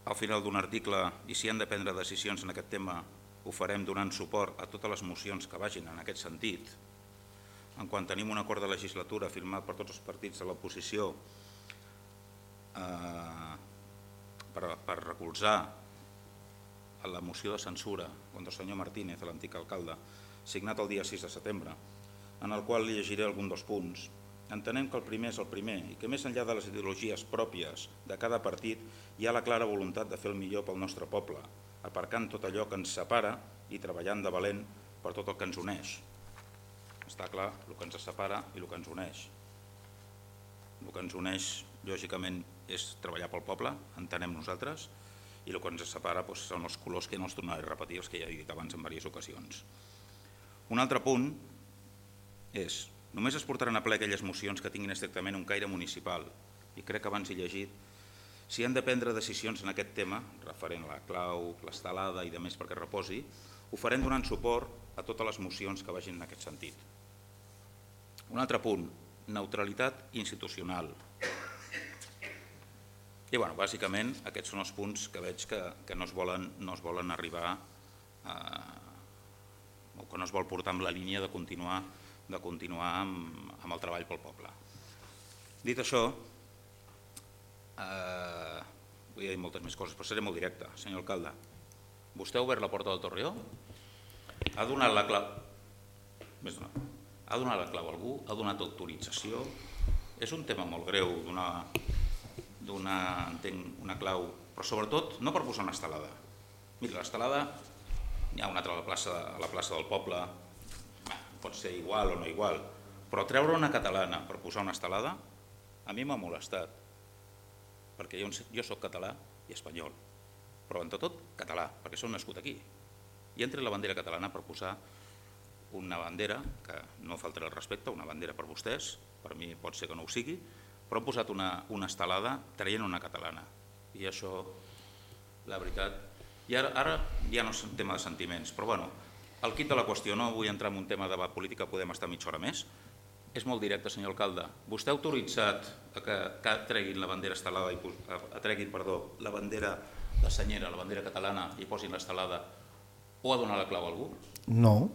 Al final d'un article, i si han de prendre decisions en aquest tema, ho farem donant suport a totes les mocions que vagin en aquest sentit. En quan tenim un acord de legislatura firmat per tots els partits de l'oposició per recolzar la moció de censura contra el senyor Martínez, l'antic alcalde, signat el dia 6 de setembre, en el qual li llegiré algun dels punts. Entenem que el primer és el primer i que més enllà de les ideologies pròpies de cada partit hi ha la clara voluntat de fer el millor pel nostre poble, aparcant tot allò que ens separa i treballant de valent per tot el que ens uneix. Està clar el que ens separa i el que ens uneix. El que ens uneix, lògicament, és treballar pel poble, entenem nosaltres, i el que ens separa són els colors que no els tornaré a repetir, els que ja he dit abans en diverses ocasions. Un altre punt és: només es portaran a ple aquelles mocions que tinguin estrictament un caire municipal, i crec que abans he llegit, si han de prendre decisions en aquest tema, referent a la clau, l'estelada i demés perquè reposi, ho farem donant suport a totes les mocions que vagin en aquest sentit. Un altre punt, neutralitat institucional. I bàsicament aquests són els punts que veig que no es volen arribar o que no es vol portar amb la línia de continuar amb el treball pel poble. Dit això, vull dir moltes més coses, però seré molt directe. Senyor alcalde, vostè ha obert la porta del Torreó? Ha donat la clau? Ha donat la clau a algú? Ha donat autorització? És un tema molt greu entenc, una clau, però sobretot no per posar una estelada. Mira, l'estelada, n'hi ha una altra a la plaça del poble, pot ser igual o no igual, però treure una catalana per posar una estelada a mi m'ha molestat, perquè jo soc català i espanyol, però entre tot català, perquè soc nascut aquí. I entre la bandera catalana per posar una bandera, que no faltarà el respecte, una bandera per vostès, per mi pot ser que no ho sigui, però han posat una estelada traient una catalana. I això, la veritat... I ara ja no és un tema de sentiments, però bueno, el quid de la qüestió, no vull entrar en un tema de debat política, podem estar mitja hora més. És molt directe, senyor alcalde. Vostè ha autoritzat que treguin la bandera estelada, la bandera de senyera, la bandera catalana, i posin l'estelada, o ha donat la clau a algú? No.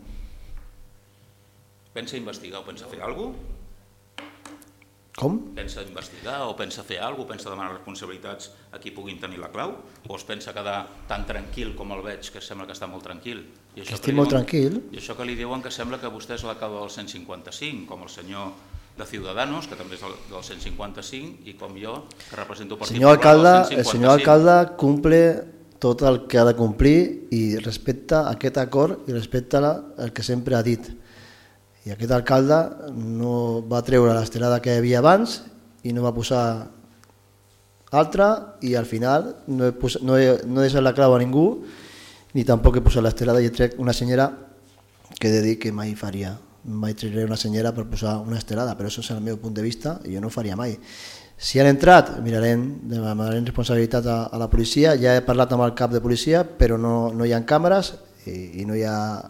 Pensa investigar o pensa fer alguna cosa? Com? Pensa investigar o pensa fer alguna cosa? Pensa demanar responsabilitats a qui puguin tenir la clau? O es pensa quedar tan tranquil com el veig, que sembla que està molt tranquil? Estic molt tranquil. I això que li diuen que sembla que vostè és l'alcalde del 155, com el senyor de Ciudadanos, que també és del 155, i com jo, que represento el Partit Popular del 155. El senyor alcalde cumple tot el que ha de complir i respecta aquest acord i respecta el que sempre ha dit. I aquest alcalde no va treure l'estelada que hi havia abans i no va posar altra, i al final no he deixat la clau a ningú, ni tampoc he posat l'estelada, i he tret una senyera que he de dir que mai faria. Mai trauré una senyera per posar una estelada, però això és el meu punt de vista i jo no ho faria mai. Si han entrat, demanarem responsabilitat a la policia. Ja he parlat amb el cap de policia, però no hi ha càmeres i no hi ha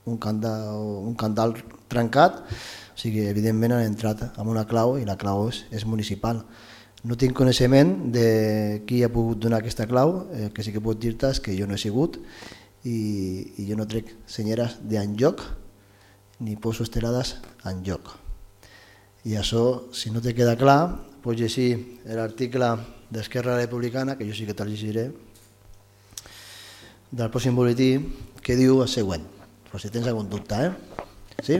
un candal trencat, o sigui, evidentment han entrat amb una clau i la clau és municipal. No tinc coneixement de qui ha pogut donar aquesta clau, que sí que puc dir-te és que jo no he sigut i jo no trec senyeres d'enlloc ni poso estelades enlloc. I això, si no te queda clar, pots llegir l'article d'Esquerra Republicana, que jo sí que te'l llegiré, del pròxim boletí, que diu el següent, però si tens algun dubte, sí?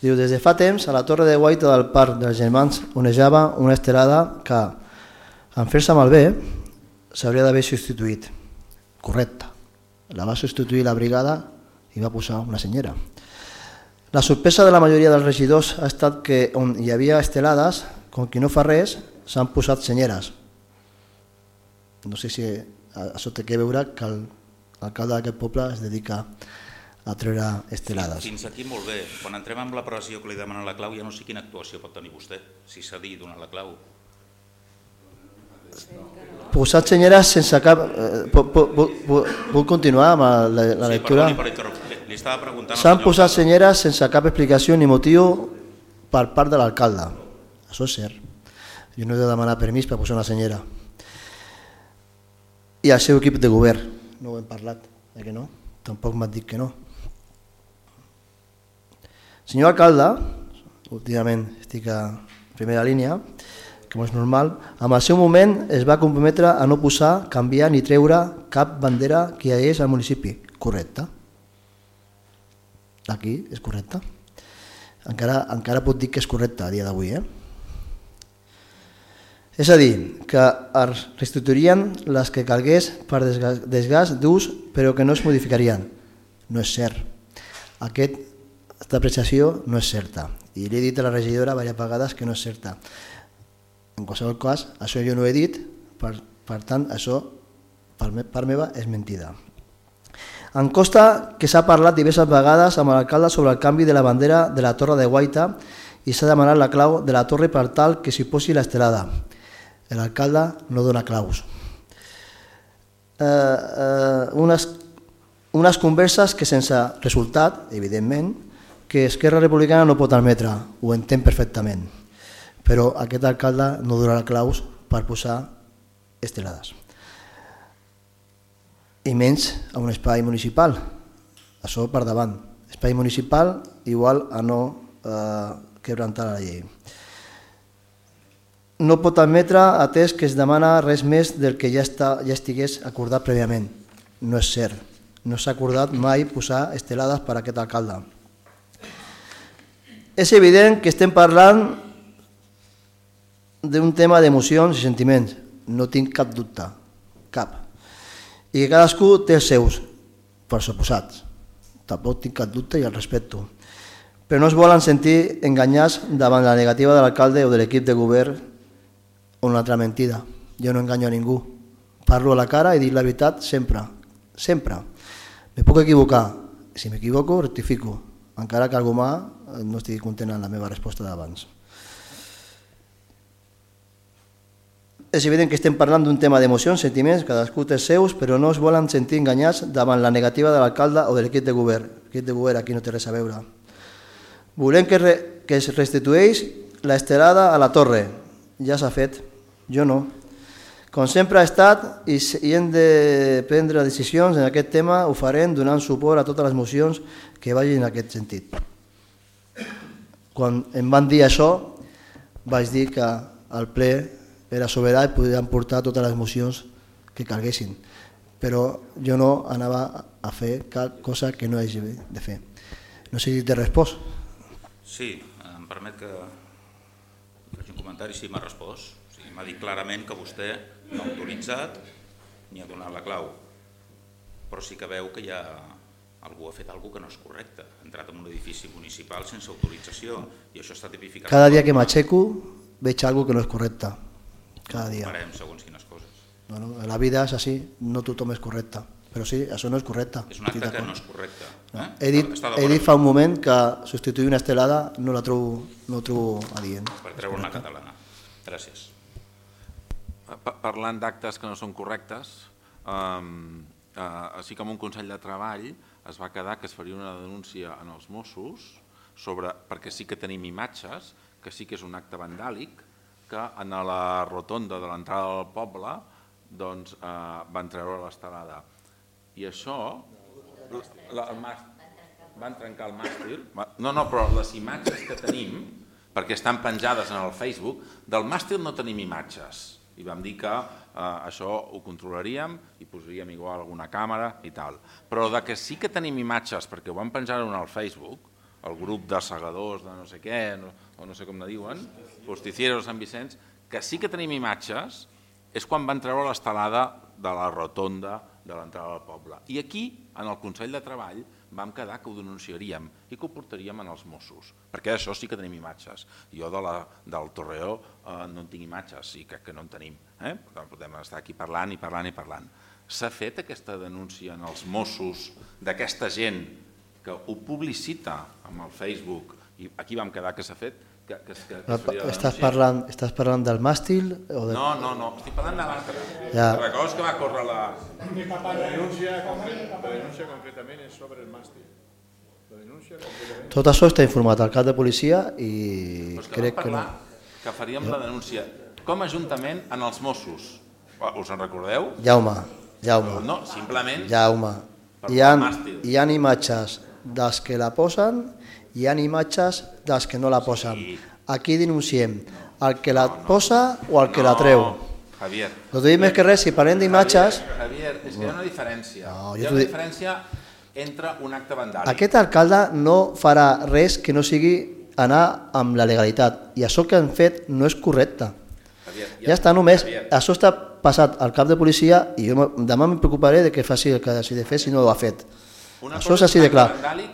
Diu, des de fa temps, a la torre de guaita del Parc dels Germans onejava una estelada que, en fer-se malbé, s'hauria d'haver substituït. Correcte. La va substituir la brigada i va posar una senyera. La sorpresa de la majoria dels regidors ha estat que on hi havia estelades, com qui no fa res, s'han posat senyeres. No sé si això té que veure que l'alcalde d'aquest poble es dedica a treure estelades. Fins aquí molt bé. Quan entrem amb la pressió que li demanen la clau, ja no sé quina actuació pot tenir vostè, si s'ha dit donar la clau. Posat senyeres sense cap... Puc continuar amb la lectura? Sí, perdoni, li estava preguntant... S'han posat senyeres sense cap explicació ni motiu per part de l'alcalde. Això és cert. Jo no he de demanar permís per posar una senyera. I el seu equip de govern. No ho hem parlat, que no? Tampoc m'ha dit que no. Senyor alcalde, últimament estic a primera línia, com és normal, en el seu moment es va comprometre a no posar, canviar ni treure cap bandera que hi hagués al municipi. Correcte. Aquí és correcte. Encara puc dir que és correcte a dia d'avui. És a dir, que es restituirien les que calgués per desgast d'ús, però que no es modificarien. No és cert. Aquesta apreciació no és certa. I li he dit a la regidora diverses vegades que no és certa. En qualsevol cas, això jo no ho he dit, per tant, això per meva és mentida. Em consta que s'ha parlat diverses vegades amb l'alcalde sobre el canvi de la bandera de la Torre de Guaita i s'ha demanat la clau de la torre per tal que s'hi posi l'estelada. L'alcalde no dona claus. Unes converses que sense resultat, evidentment, que Esquerra Republicana no pot admetre, ho entenc perfectament, però aquest alcalde no donarà claus per posar estelades. I menys a un espai municipal. Això per davant. Espai municipal igual a no quebrantar la llei. no pot admetre atès que es demana res més del que ja estigués acordat prèviament. No és cert. No s'ha acordat mai posar estelades per a aquest alcalde. És evident que estem parlant d'un tema d'emocions i sentiments. No tinc cap dubte. Cap. I que cadascú té els seus, per suposats. Tampoc tinc cap dubte i el respecto. Però no es volen sentir enganyats davant la negativa de l'alcalde o de l'equip de govern o una altra mentida. Jo no enganyo a ningú. Parlo a la cara i dic la veritat sempre. Sempre. Me puc equivocar. Si m'equivoco, rectifico. Encara que algú no estigui content amb la meva resposta d'abans. És evident que estem parlant d'un tema d'emocions, sentiments, cadascú té els seus, però no es volen sentir enganyats davant la negativa de l'alcalde o de l'equip de govern. L'equip de govern aquí no té res a veure. Volem que es restitueix l'estelada a la torre. Ja s'ha fet. Jo no. Com sempre ha estat i hem de prendre decisions en aquest tema, ho farem donant suport a totes les mocions que vagin en aquest sentit. Quan em van dir això, vaig dir que el ple era soberà i podien portar totes les mocions que calguessin. Però jo no anava a fer cap cosa que no hagi de fer. No sé si t'he respost. Sí, em permet que faci un comentari, sí, m'ha respost. M'ha dit clarament que vostè no ha autoritzat ni ha donat la clau, però sí que veu que algú ha fet alguna cosa que no és correcte. Ha entrat en un edifici municipal sense autorització i això està tipificat. Cada dia que m'aixeco veig alguna que no és correcte. Cada dia. Farem segons quines coses. Bueno, la vida és així, no tothom és correcte. Però sí, això no és correcte. És un acte que no és correcte. He dit fa un moment que substituir una estelada no ho trobo adient. Per treure una catalana. Gràcies. Parlant d'actes que no són correctes, així com un Consell de Treball es va quedar que es faria una denúncia en els Mossos perquè sí que tenim imatges, que sí que és un acte vandàlic, que en la rotonda de l'entrada del poble van treure l'estelada. I això, van trencar el màstil, no, però les imatges que tenim, perquè estan penjades en el Facebook, del màstil no tenim imatges. I vam dir que això ho controlaríem i posaríem igual alguna càmera i tal. Però que sí que tenim imatges, perquè ho van penjar al Facebook, el grup de segadors de no sé què, o no sé com ne diuen, posticieros de Sant Vicenç, que sí que tenim imatges, és quan van treure l'estelada de la rotonda de l'entrada del poble. I aquí, en el Consell de Treball, vam quedar que ho denunciaríem i que ho portaríem als Mossos, perquè això sí que tenim imatges. Jo del Torreó no en tinc imatges, i crec que no en tenim. Podem estar aquí parlant i parlant i parlant. S'ha fet aquesta denúncia en els Mossos d'aquesta gent que ho publicita amb el Facebook, i aquí vam quedar que s'ha fet, Estàs parlant del màstil? No, estic parlant de l'altre. Recordes que va córrer la denúncia concretament és sobre el màstil. Tot això està informat al cap de policia i crec que no. Que faríem la denúncia com a Ajuntament en els Mossos. Us en recordeu? Jaume. No, simplement... Jaume. Hi ha imatges dels que la posen, hi ha imatges dels que no la posen. Aquí denunciem el que la posa o el que la treu. Javier. No t'ho dic més que res, si parlem d'imatges... Javier, és que hi ha una diferència. Hi ha una diferència entre un acte vandàlic. Aquest alcalde no farà res que no sigui anar amb la legalitat. I això que han fet no és correcte. Ja està només. Això està passat al cap de policia i jo demà em preocuparé de que faci el que hagi de fer si no ho ha fet. Això és així de clar.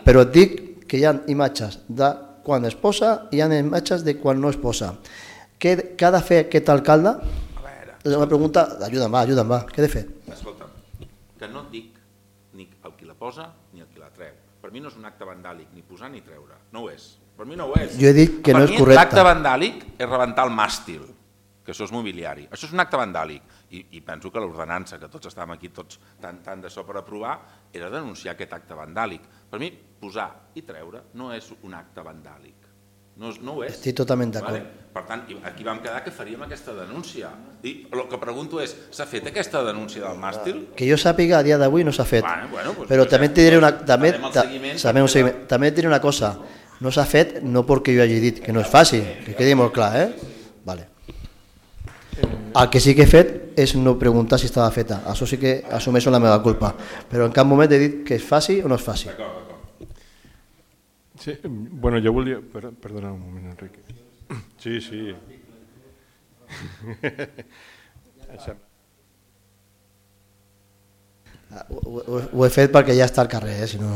Però et dic que hi ha imatges de quan es posa i hi ha imatges de quan no es posa. Què ha de fer aquest alcalde? És una pregunta, ajuda'm, què ha de fer? Escolta, que no et dic ni el qui la posa ni el qui la treu. Per mi no és un acte vandàlic, ni posar ni treure. No ho és. Per mi no ho és. Jo he dit que no és correcte. Per mi l'acte vandàlic és rebentar el màstil, que això és mobiliari. Això és un acte vandàlic. I penso que l'ordenança, que tots estàvem aquí tots tant d'això per aprovar, era denunciar aquest acte vandàlic. Per mi, posar i treure no és un acte vandàlic. No ho és. Estic totalment d'acord. Per tant, aquí vam quedar que faríem aquesta denúncia. I el que pregunto és, s'ha fet aquesta denúncia del màstil? Que jo sàpiga, a dia d'avui no s'ha fet. Però també et diré una cosa. No s'ha fet no perquè jo hagi dit que no és fàcil, que quedi molt clar, Vale. El que sí que he fet és no preguntar si estava feta. Això sí que assumeixo la meva culpa. Però en cap moment he dit que es faci o no es faci. Sí, bueno, jo volia... Perdona un moment, Enric. Sí. Ho he fet perquè ja està al carrer, si no...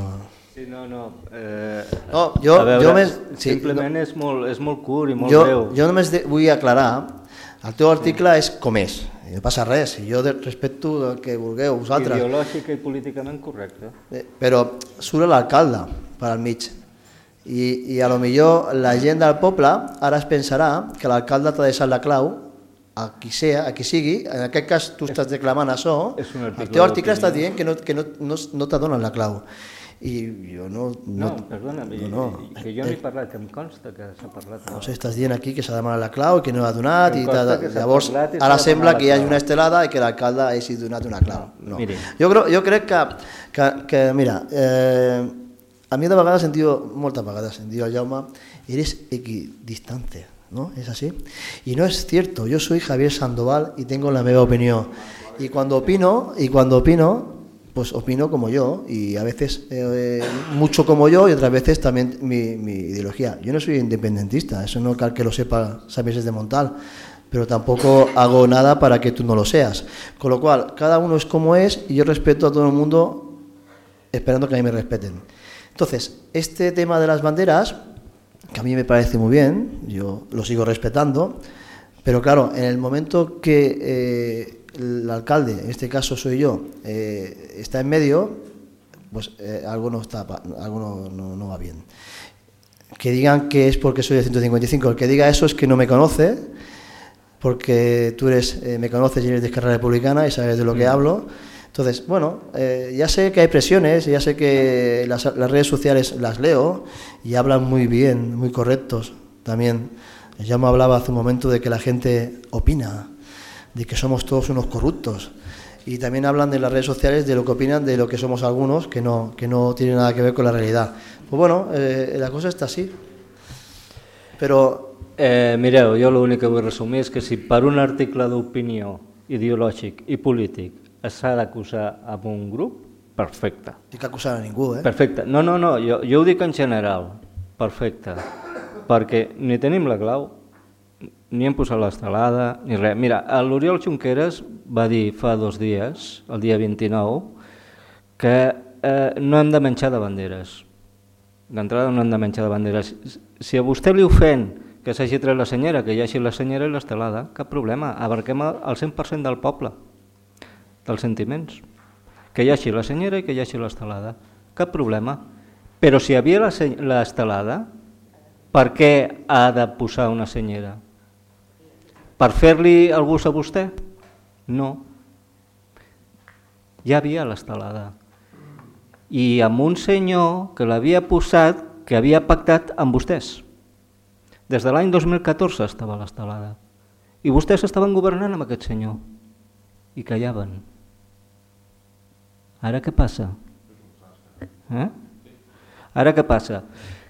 Sí, no. Simplement és molt curt i molt breu. Jo només vull aclarar, el teu article és com és, no passa res, jo respecto el que vulgueu vosaltres. Ideològica i políticament correcte. Però surt l'alcalde per al mig i a lo millor la gent del poble ara es pensarà que l'alcalde t'ha deixat la clau a qui sigui, en aquest cas tu estàs declamant això, el teu article està dient que no t'adonen la clau. I jo no... Perdona, que jo no he parlat, que em consta que s'ha parlat. No sé, estàs dient aquí que s'ha demanat la clau i que no ha donat, i llavors ara sembla que hi hagi una estelada i que l'alcalde hagi donat una clau. No. Jo crec que mira, a mi de vegades moltes vegades sentiu al Jaume, eres equidistante, ¿no? ¿Es así? Y no es cierto, yo soy Javier Sandoval y tengo la misma opinión. Y cuando opino, pues opino como yo, y a veces mucho como yo y otras veces también mi ideología. Yo no soy independentista, eso no cal que lo sepa Samies de Montal, pero tampoco hago nada para que tú no lo seas. Con lo cual, cada uno es como es y yo respeto a todo el mundo esperando que a mí me respeten. Entonces, este tema de las banderas, que a mí me parece muy bien, yo lo sigo respetando, pero claro, en el momento que el alcalde, en este caso soy yo, está en medio, pues algo no va bien. Que digan que es porque soy de 155, el que diga eso es que no me conoce, porque tú me conoces y eres de Esquerra Republicana y sabes de lo que hablo. Entonces, bueno, ya sé que hay presiones, ya sé que las redes sociales las leo y hablan muy bien, muy correctos también. Ya me hablaba hace un momento de que la gente opina, de que somos todos unos corruptos. Y también hablan de las redes sociales de lo que opinan de lo que somos algunos, que no tiene nada que ver con la realidad. Pues bueno, la cosa està així. Però... Mireu, jo l'únic que vull resumir és que si per un article d'opinió ideològic i polític s'ha d'acusar amb un grup, perfecte. No cal acusar a ningú, Perfecte. No, jo ho dic en general. Perfecte. Perquè ni tenim la clau, ni hem posat l'estelada, ni res. Mira, l'Oriol Junqueras va dir fa 2 dies, el dia 29, que no hem de menjar de banderes. D'entrada no hem de menjar de banderes. Si a vostè li ofèn que s'hagi tret la senyera, que hi hagi la senyera i l'estelada, cap problema. Abarquem el 100% del poble, dels sentiments. Que hi hagi la senyera i que hi hagi l'estelada. Cap problema. Però si hi havia l'estelada, per què ha de posar una senyera? Per fer-li el gust a vostè? No. Ja havia l'estelada. I amb un senyor que l'havia posat, que havia pactat amb vostès. Des de l'any 2014 estava l'estelada. I vostès estaven governant amb aquest senyor. I callaven. Ara què passa? Ara què passa?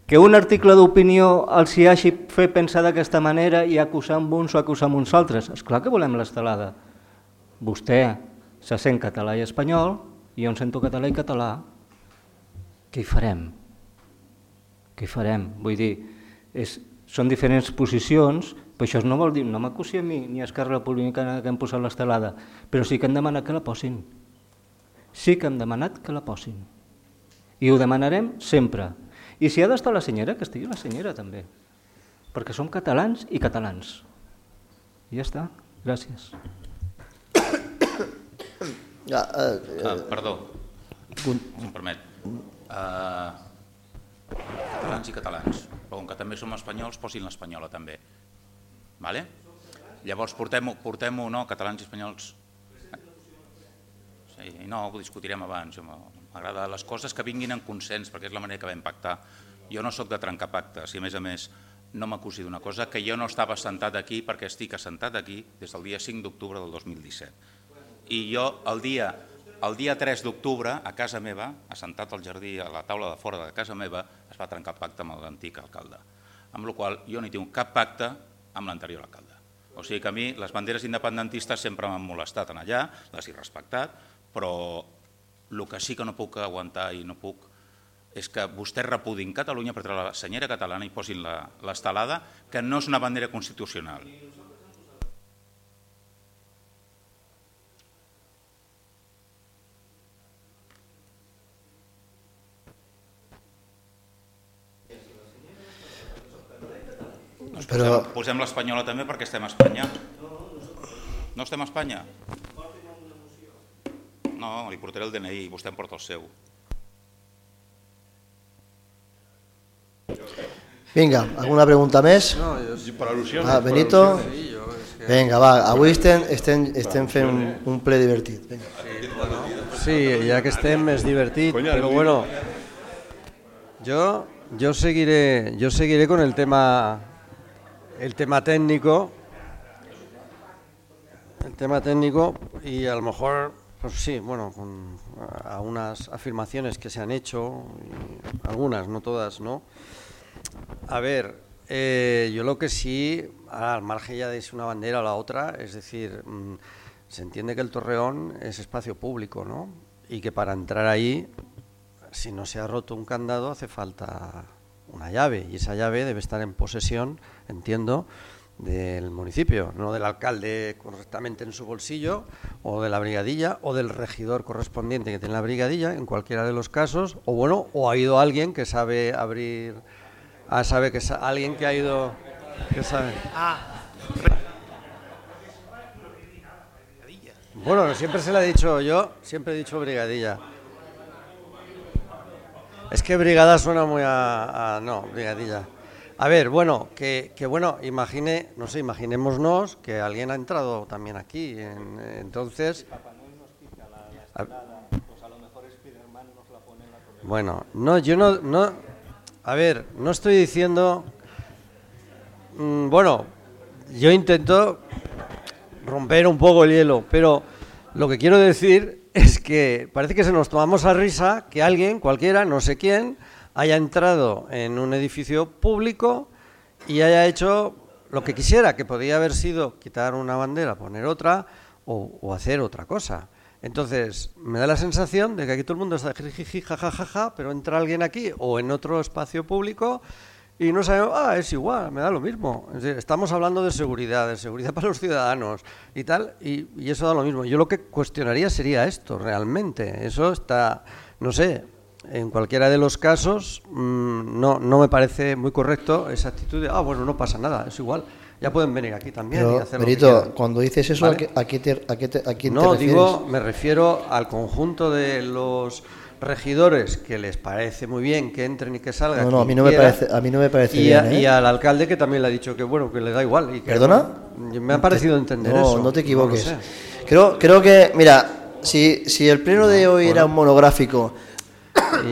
Que un article d'opinió els hi hagi fet pensar d'aquesta manera i acusar amb uns o acusar amb uns altres. Esclar que volem l'estelada. Vostè se sent català i espanyol, i jo em sento català i català. Què hi farem? Què hi farem? Vull dir, són diferents posicions, però això no vol dir, no m'acusi a mi ni a Esquerra Republicana que hem posat l'estelada, però sí que hem demanat que la posin. Sí que hem demanat que la posin. I ho demanarem sempre. I si ha d'estar la senyera, que estigui la senyera també, perquè som catalans i catalans. I ja està, gràcies. Perdó, si em permet. Catalans i catalans, però com que també som espanyols, posin l'espanyola també. Llavors portem-ho, no, catalans i espanyols. No, ho discutirem abans. M'agrada les coses que vinguin en consens, perquè és la manera que vam pactar. Jo no sóc de trencar pactes i, a més, no m'acusi d'una cosa, que jo no estava assentat aquí perquè estic assentat aquí des del dia 5 d'octubre del 2017. I jo el dia 3 d'octubre, a casa meva, assentat al jardí, a la taula de fora de casa meva, es va trencar pacte amb l'antic alcalde. Amb la qual cosa jo no hi tinc cap pacte amb l'anterior alcalde. O sigui que a mi les banderes independentistes sempre m'han molestat en allà, les he respectat, però el que sí que no puc aguantar i no puc és que vostès repudin Catalunya per treure la senyera catalana i posin l'estelada, que no és una bandera constitucional. Posem l'espanyola també perquè estem a Espanya. No estem a Espanya? No, li portaré el DNI i vostè em porta el seu. Vinga, alguna pregunta més? Per al·lusions. Benito? Vinga, va, avui estem fent un ple divertit. Sí, ja que estem és divertit, però bueno, yo seguiré con el tema técnico. El tema técnico y a lo mejor, pues sí, bueno, con algunas afirmaciones que se han hecho, algunas, no todas, ¿no? A ver, yo lo que sí, al margen ya de si una bandera o la otra, es decir, se entiende que el Torreón es espacio público, ¿no? Y que para entrar ahí, si no se ha roto un candado, hace falta una llave, y esa llave debe estar en posesión, entiendo, del municipio, no del alcalde correctamente en su bolsillo, o de la brigadilla, o del regidor correspondiente que tiene la brigadilla, en cualquiera de los casos, o bueno, o ha ido alguien que sabe abrir, alguien que ha ido, que sabe. Bueno, siempre se le ha dicho siempre he dicho brigadilla. Es que brigada suena muy no, brigadilla. A ver, bueno, que bueno, imaginémonos que alguien ha entrado también aquí, entonces... Bueno, no, yo no, a ver, no estoy diciendo... Bueno, yo intento romper un poco el hielo, pero lo que quiero decir es que parece que se nos tomamos a risa que alguien, cualquiera, no sé quién, haya entrado en un edificio público y haya hecho lo que quisiera, que podía haber sido quitar una bandera, poner otra o hacer otra cosa. Entonces, me da la sensación de que aquí todo el mundo está jiji, jajajaja, pero entra alguien aquí o en otro espacio público y no sabemos, es igual, me da lo mismo. Es decir, estamos hablando de seguridad para los ciudadanos y tal, y eso da lo mismo. Yo lo que cuestionaría sería esto, realmente. Eso está, no sé, en cualquiera de los casos no me parece muy correcto esa actitud de, bueno, no pasa nada, es igual. Ya pueden venir aquí también. Pero, y hacer Benito, lo que cuando dices eso, ¿vale? ¿a quién te refieres? Me refiero al conjunto de los regidores que les parece muy bien que entren y que salgan. No, a mí no me parece bien. Y al alcalde que también le ha dicho que bueno, que le da igual. Y que, ¿Perdona? Me ha parecido entender eso. No te equivoques. No lo sé. Creo que, mira, si el pleno de hoy era un monográfico,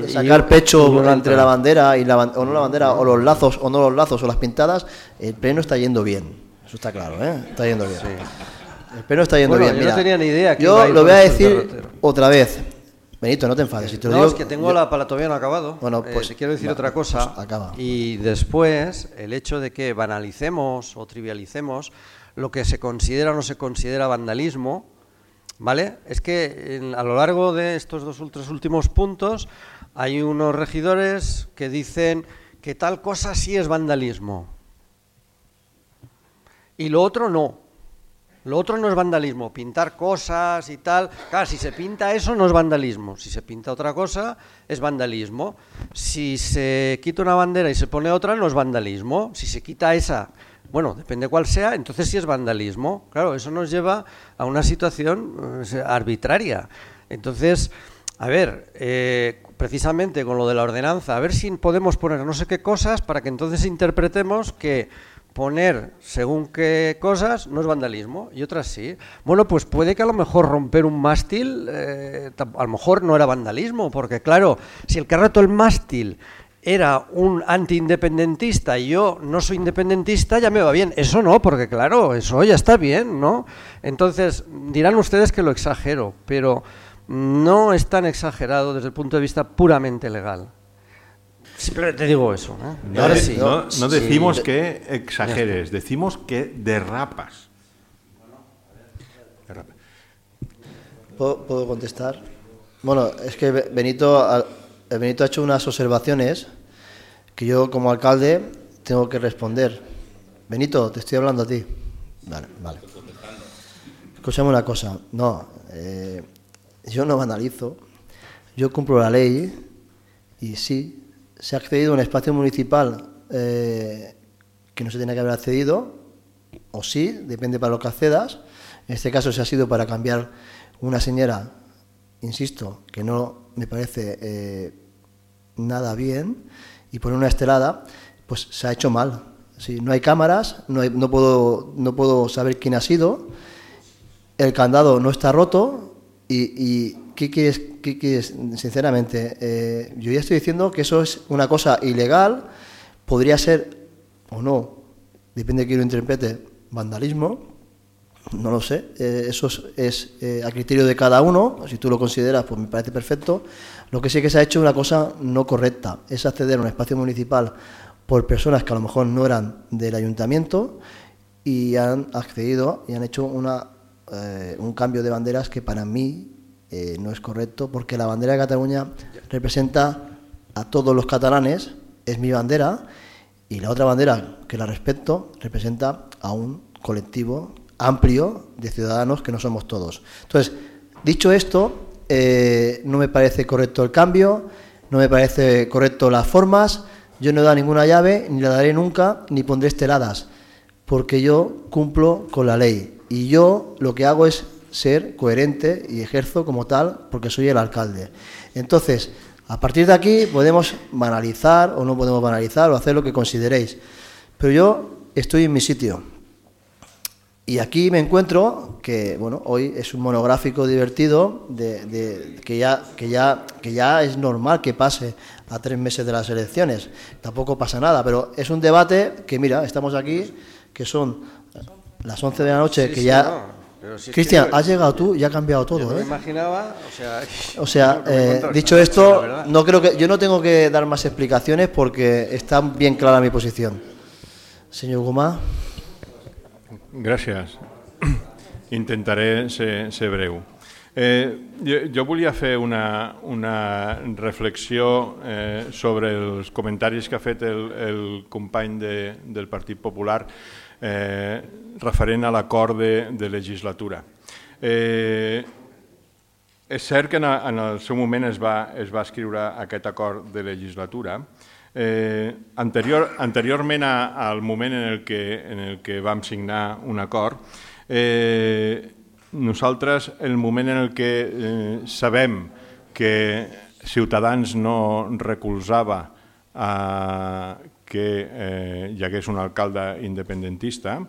sacar pecho entre la bandera o no la bandera, o los lazos o no los lazos o las pintadas, el pleno está yendo bien. Eso está claro, Está yendo bien. Sí. El pleno está yendo bien. Yo no tenía ni idea. Yo lo voy a decir otra vez. Benito, no te enfades. Si te lo digo, es que tengo la pala todavía no acabado. Bueno, pues quiero decir otra cosa. Pues acaba. Y después, el hecho de que banalicemos o trivialicemos lo que se considera o no se considera vandalismo, ¿vale? Es que a lo largo de estos tres últimos puntos hay unos regidores que dicen que tal cosa sí es vandalismo y lo otro no. Lo otro no es vandalismo, pintar cosas y tal. Claro, si se pinta eso no es vandalismo, si se pinta otra cosa es vandalismo. Si se quita una bandera y se pone otra no es vandalismo. Si se quita esa, bueno, depende cuál sea, entonces sí es vandalismo. Claro, eso nos lleva a una situación arbitraria. Entonces, a ver, precisamente con lo de la ordenanza, a ver si podemos poner no sé qué cosas para que entonces interpretemos que poner según qué cosas no es vandalismo y otras sí. Bueno, pues puede que a lo mejor romper un mástil a lo mejor no era vandalismo, porque claro, si el que ha roto el mástil era un antiindependentista y yo no soy independentista, ya me va bien. Eso no, porque claro, eso ya está bien, ¿no? Entonces, dirán ustedes que lo exagero, pero no es tan exagerado desde el punto de vista puramente legal. Simplemente digo eso. No decimos que exageres, decimos que derrapas. ¿Puedo contestar? Bueno, es que Benito ha hecho unas observaciones que yo como alcalde tengo que responder. Benito, te estoy hablando a ti. Vale. Escúchame una cosa. No, yo no banalizo. Yo cumplo la ley y sí, se ha accedido a un espacio municipal que no se tenía que haber accedido, o sí, depende para lo que accedas. En este caso se ha sido para cambiar una señora, insisto, que no me parece nada bien, y poner una estelada, pues se ha hecho mal. Si no hay cámaras, no puedo saber quién ha sido, el candado no está roto, y ¿qué quieres? Sinceramente, yo ya estoy diciendo que eso es una cosa ilegal, podría ser o no, depende de quién lo interprete, vandalismo. No lo sé, eso es a criterio de cada uno. Si tú lo consideras, pues me parece perfecto. Lo que sí que se ha hecho es una cosa no correcta, es acceder a un espacio municipal por personas que a lo mejor no eran del ayuntamiento y han accedido y han hecho un cambio de banderas que para mí no es correcto, porque la bandera de Cataluña representa a todos los catalanes, es mi bandera, y la otra bandera, que la respeto, representa a un colectivo amplio de ciudadanos que no somos todos. Entonces, dicho esto, no me parece correcto el cambio, no me parece correcto las formas. Yo no he dado ninguna llave, ni la daré nunca, ni pondré esteladas, porque yo cumplo con la ley y yo lo que hago es ser coherente y ejerzo como tal porque soy el alcalde. Entonces, a partir de aquí podemos banalizar o no podemos banalizar o hacer lo que consideréis, pero yo estoy en mi sitio. Y aquí me encuentro que, bueno, hoy es un monográfico divertido que ya es normal que pase a 3 meses de las elecciones. Tampoco pasa nada, pero es un debate que, mira, estamos aquí, que son las 11 de la noche, sí, que sí, ya... No, si Cristian, es que has llegado tú y ha cambiado todo, yo no me imaginaba, dicho esto, no creo que yo no tengo que dar más explicaciones porque está bien clara mi posición. Señor Gomà. Gràcies. Intentaré ser breu. Jo volia fer una reflexió sobre els comentaris que ha fet el company del Partit Popular referent a l'acord de legislatura. És cert que en el seu moment es va escriure aquest acord de legislatura. Anteriorment al moment en el que vam signar un acord, nosaltres, el moment en el que sabem que Ciutadans no recolzava que hi hagués un alcalde independentista,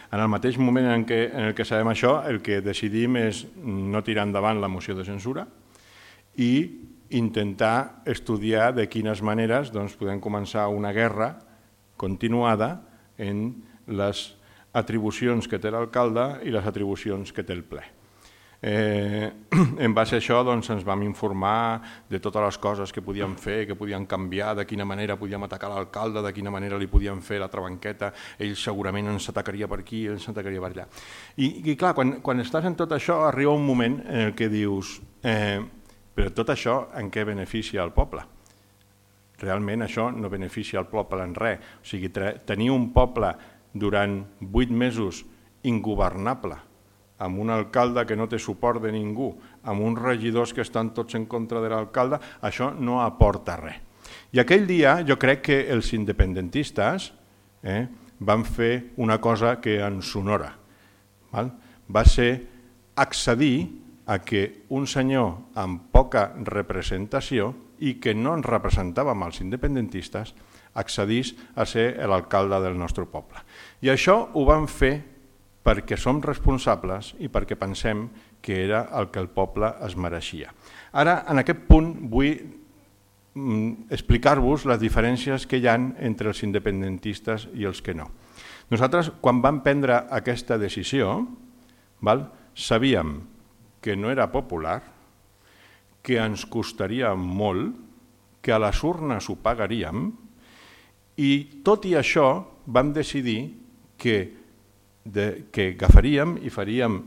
en el mateix moment en el que sabem això, el que decidim és no tirar endavant la moció de censura i intentar estudiar de quines maneres podem començar una guerra continuada en les atribucions que té l'alcalde i les atribucions que té el ple. En base a això ens vam informar de totes les coses que podíem fer, que podien canviar, de quina manera podíem atacar l'alcalde, de quina manera li podíem fer la trabanqueta, ell segurament ens atacaria per aquí, ell ens atacaria per allà. I clar, quan estàs en tot això arriba un moment en què dius però tot això en què beneficia el poble? Realment això no beneficia el poble en res. O sigui, tenir un poble durant 8 mesos ingovernable, amb un alcalde que no té suport de ningú, amb uns regidors que estan tots en contra de l'alcalde, això no aporta res. I aquell dia jo crec que els independentistes van fer una cosa que ens sonora. Va ser accedir a que un senyor amb poca representació i que no ens representava amb els independentistes accedís a ser l'alcalde del nostre poble. I això ho vam fer perquè som responsables i perquè pensem que era el que el poble es mereixia. Ara, en aquest punt, vull explicar-vos les diferències que hi ha entre els independentistes i els que no. Nosaltres, quan vam prendre aquesta decisió, sabíem que no era popular, que ens costaria molt, que a les urnes ho pagaríem, i tot i això vam decidir que que agafaríem i faríem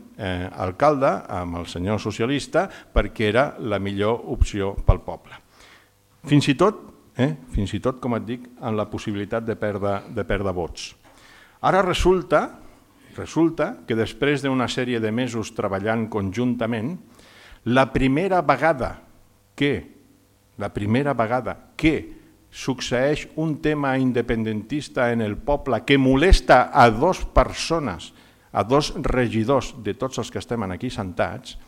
alcalde amb el senyor socialista perquè era la millor opció pel poble. Fins i tot, com et dic, amb la possibilitat de perdre vots. Ara resulta que després d'una sèrie de mesos treballant conjuntament, la primera vegada que succeeix un tema independentista en el poble que molesta a dues persones, a dos regidors de tots els que estem aquí sentats,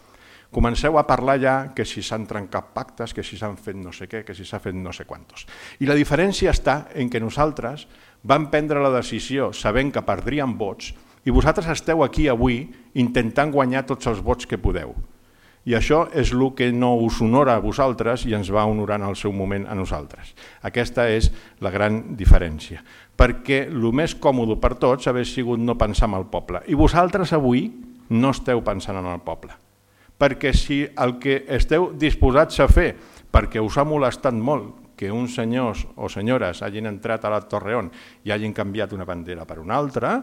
comenceu a parlar ja que si s'han trencat pactes, que si s'han fet no sé què, que si s'ha fet no sé quantos. I la diferència està en que nosaltres vam prendre la decisió sabent que perdríem vots i vosaltres esteu aquí avui intentant guanyar tots els vots que podeu. I això és el que no us honora a vosaltres i ens va honorar en el seu moment a nosaltres. Aquesta és la gran diferència. Perquè el més còmode per tots hauria sigut no pensar en el poble. I vosaltres avui no esteu pensant en el poble. Perquè si el que esteu disposats a fer, perquè us ha molestat molt que uns senyors o senyores hagin entrat a la Torreón i hagin canviat una bandera per una altra,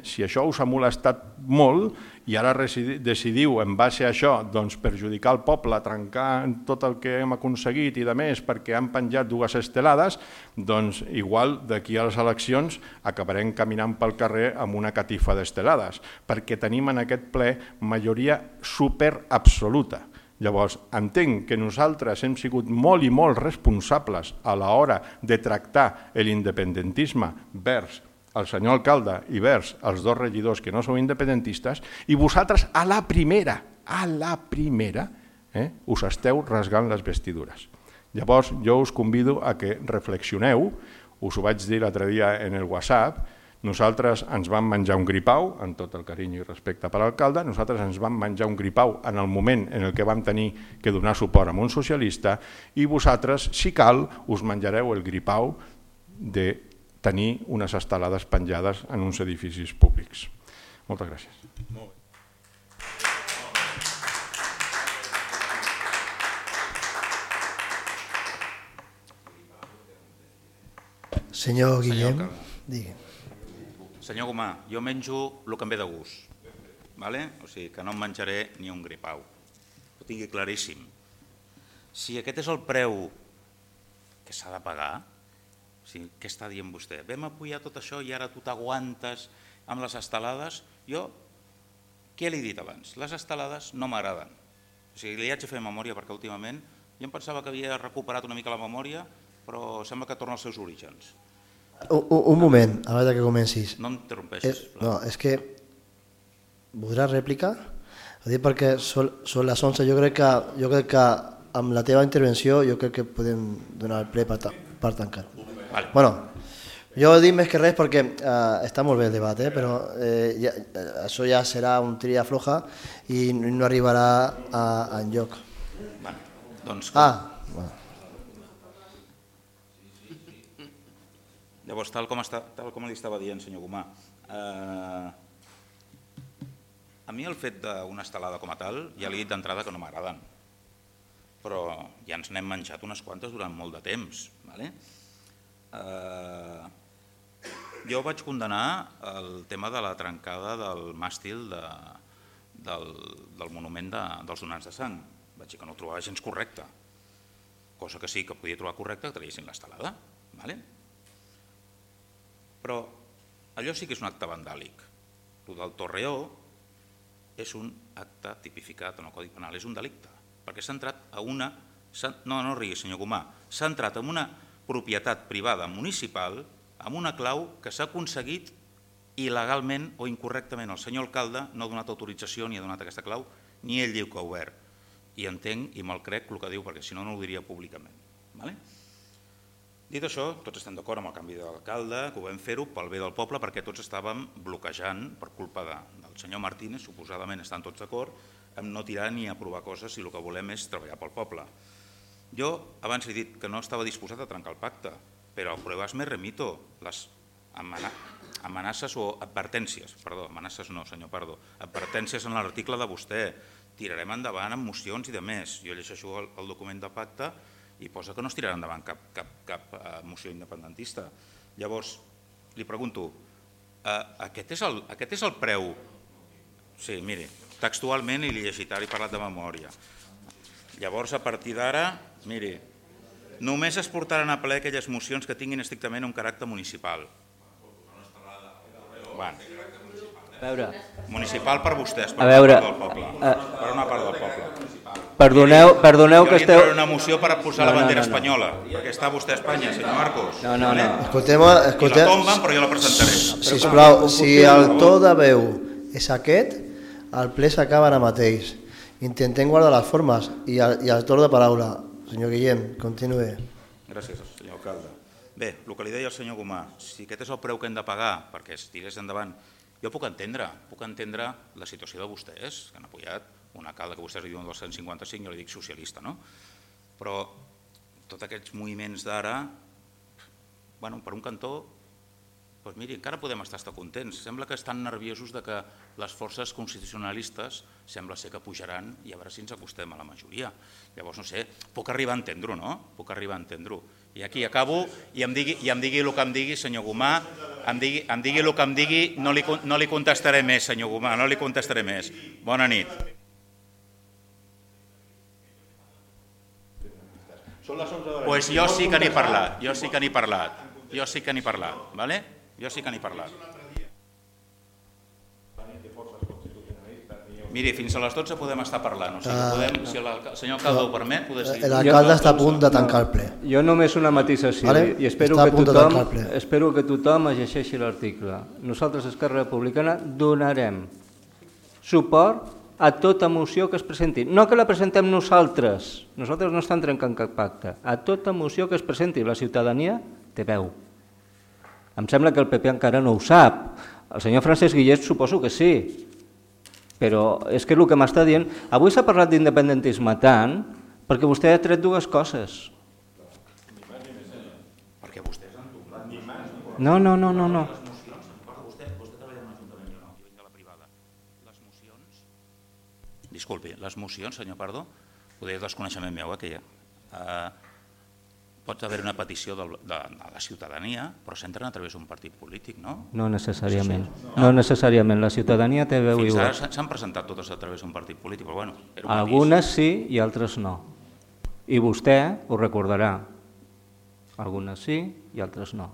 si això us ha molestat molt i ara decidiu en base a això perjudicar el poble, trencar tot el que hem aconseguit i de més perquè han penjat dues estelades, doncs igual d'aquí a les eleccions acabarem caminant pel carrer amb una catifa d'estelades, perquè tenim en aquest ple majoria superabsoluta. Llavors, entenc que nosaltres hem sigut molt i molt responsables a l'hora de tractar l'independentisme vers el senyor alcalde i vers els dos regidors que no sou independentistes i vosaltres a la primera, us esteu rasgant les vestidures. Llavors, jo us convido a que reflexioneu, us ho vaig dir l'altre dia en el WhatsApp, nosaltres ens vam menjar un gripau, amb tot el carinyo i respecte per l'alcalde, nosaltres ens vam menjar un gripau en el moment en què vam tenir que donar suport a un socialista i vosaltres, si cal, us menjareu el gripau de tenir unes estelades penjades en uns edificis públics. Moltes gràcies. Molt bé. Senyor Guillem, digui. Senyor Gomà, jo menjo el que em ve de gust, o sigui que no em menjaré ni un gripau, ho tingui claríssim. Si aquest és el preu que s'ha de pagar, què està dient vostè? Vam apoyar tot això i ara tu t'aguantes amb les estelades? Jo, què li he dit abans? Les estelades no m'agraden. O sigui, li haig de fer memòria perquè últimament jo em pensava que havia recuperat una mica la memòria, però sembla que torna als seus orígens. Un moment, abans que comencis. No em interrompeixis. No, és que... Voldràs rèplica? Perquè són les 11, jo crec que amb la teva intervenció jo crec que podem donar el ple per tancar. Bueno, jo dic més que res perquè està molt bé el debat, però això ja serà un tria floja i no arribarà enlloc. Llavors, tal com li estava dient, senyor Gomà, a mi el fet d'una estelada com a tal, ja li he dit d'entrada que no m'agraden, però ja ens n'hem menjat unes quantes durant molt de temps. Jo vaig condenar el tema de la trencada del màstil del monument dels donants de sang. Vaig dir que no ho trobava gens correcte, cosa que sí que podia trobar correcte que traguessin l'estelada. Però allò sí que és un acte vandàlic. El del Torreó és un acte tipificat en el Codi Penal, és un delicte, perquè s'ha entrat a una... No rigui, senyor Gomà, s'ha entrat en una propietat privada municipal amb una clau que s'ha aconseguit il·legalment o incorrectament. El senyor alcalde no ha donat autorització ni ha donat aquesta clau, ni ell diu que ha obert. I entenc i me'l crec el que diu, perquè si no, no ho diria públicament. Dit això, tots estem d'acord amb el canvi d'alcalde, que ho vam fer-ho pel bé del poble, perquè tots estàvem bloquejant per culpa del senyor Martínez, suposadament estan tots d'acord, en no tirar ni aprovar coses si el que volem és treballar pel poble. Jo abans he dit que no estava disposat a trencar el pacte, però a pruebas me remito, les amenaces o advertències, perdó, amenaces no, senyor, perdó, advertències en l'article de vostè, tirarem endavant amb mocions i de més. Jo llegeixo el document de pacte i posa que no es tirarà endavant cap moció independentista. Llavors, li pregunto, aquest és el preu. Sí, miri, textualment i li he llegit, ara he parlat de memòria. Llavors, a partir d'ara, miri, només es portaran a ple aquelles mocions que tinguin estrictament un caràcter municipal. Municipal per vostès, per una part del poble. Per una part del poble. Perdoneu que esteu... Jo li una moció per posar la bandera espanyola, perquè està vostè a Espanya, senyor Marcos. No. I la tomben, però jo la presentaré. Sisplau, si el to de veu és aquest, el ple s'acaba ara mateix. Intentem guardar les formes i el torn de paraula. Senyor Guillem, continuï. Gràcies, senyor alcalde. Bé, el que li deia el senyor Gomà, si aquest és el preu que hem de pagar perquè es tirés endavant, jo puc entendre la situació de vostès, que han apoyat un alcalde que vostès li diuen del 155, jo li dic socialista, no? Però tots aquests moviments d'ara, bueno, per un cantó, doncs miri, encara podem estar contents. Sembla que estan nerviosos de que les forces constitucionalistes sembla ser que pujaran i a veure si ens acostem a la majoria. Llavors, no sé, puc arribar a entendre-ho, no? Puc arribar a entendre-ho. I aquí acabo i em digui el que em digui, senyor Gomà, em digui el que em digui, no li contestaré més, senyor Gomà, no li contestaré més. Bona nit. Doncs jo sí que n'he parlat, jo sí que n'he parlat, ¿vale? Jo sí que n'he parlat. Miri, fins a les 12 podem estar parlant, o sigui, si el senyor alcalde ho permet, poder seguir. L'alcalde està a punt de tancar el ple. Jo només una matisació, i espero que tothom llegeixi l'article. Nosaltres, Esquerra Republicana, donarem suport a tota moció que es presenti. No que la presentem nosaltres no estem trencant cap pacte. A tota moció que es presenti, la ciutadania té veu. Em sembla que el PP encara no ho sap. El senyor Francesc Guillet suposo que sí. Però és que el que m'està dient... Avui s'ha parlat d'independentisme tant perquè vostè ha tret dues coses. Perquè vostès han tocat ni mans ni por. No. Vostè treballa en l'Ajuntament, jo no, jo vinc de la privada. Les mocions... Disculpi, les mocions, senyor Pardo, ho deia desconeixement meu, que pot haver una petició de la ciutadania, però s'entren a través d'un partit polític, no? No necessàriament. No necessàriament. La ciutadania té veu igual. Fins ara s'han presentat totes a través d'un partit polític, però bueno... Algunes sí i altres no. I vostè ho recordarà. Algunes sí i altres no.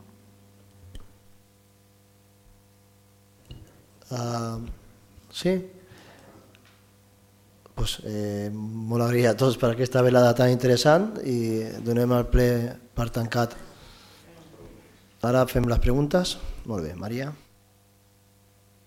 Sí? Molt agraït a tots per aquesta velada tan interessant i donem el ple per tancat. Ara fem les preguntes. Molt bé, Maria.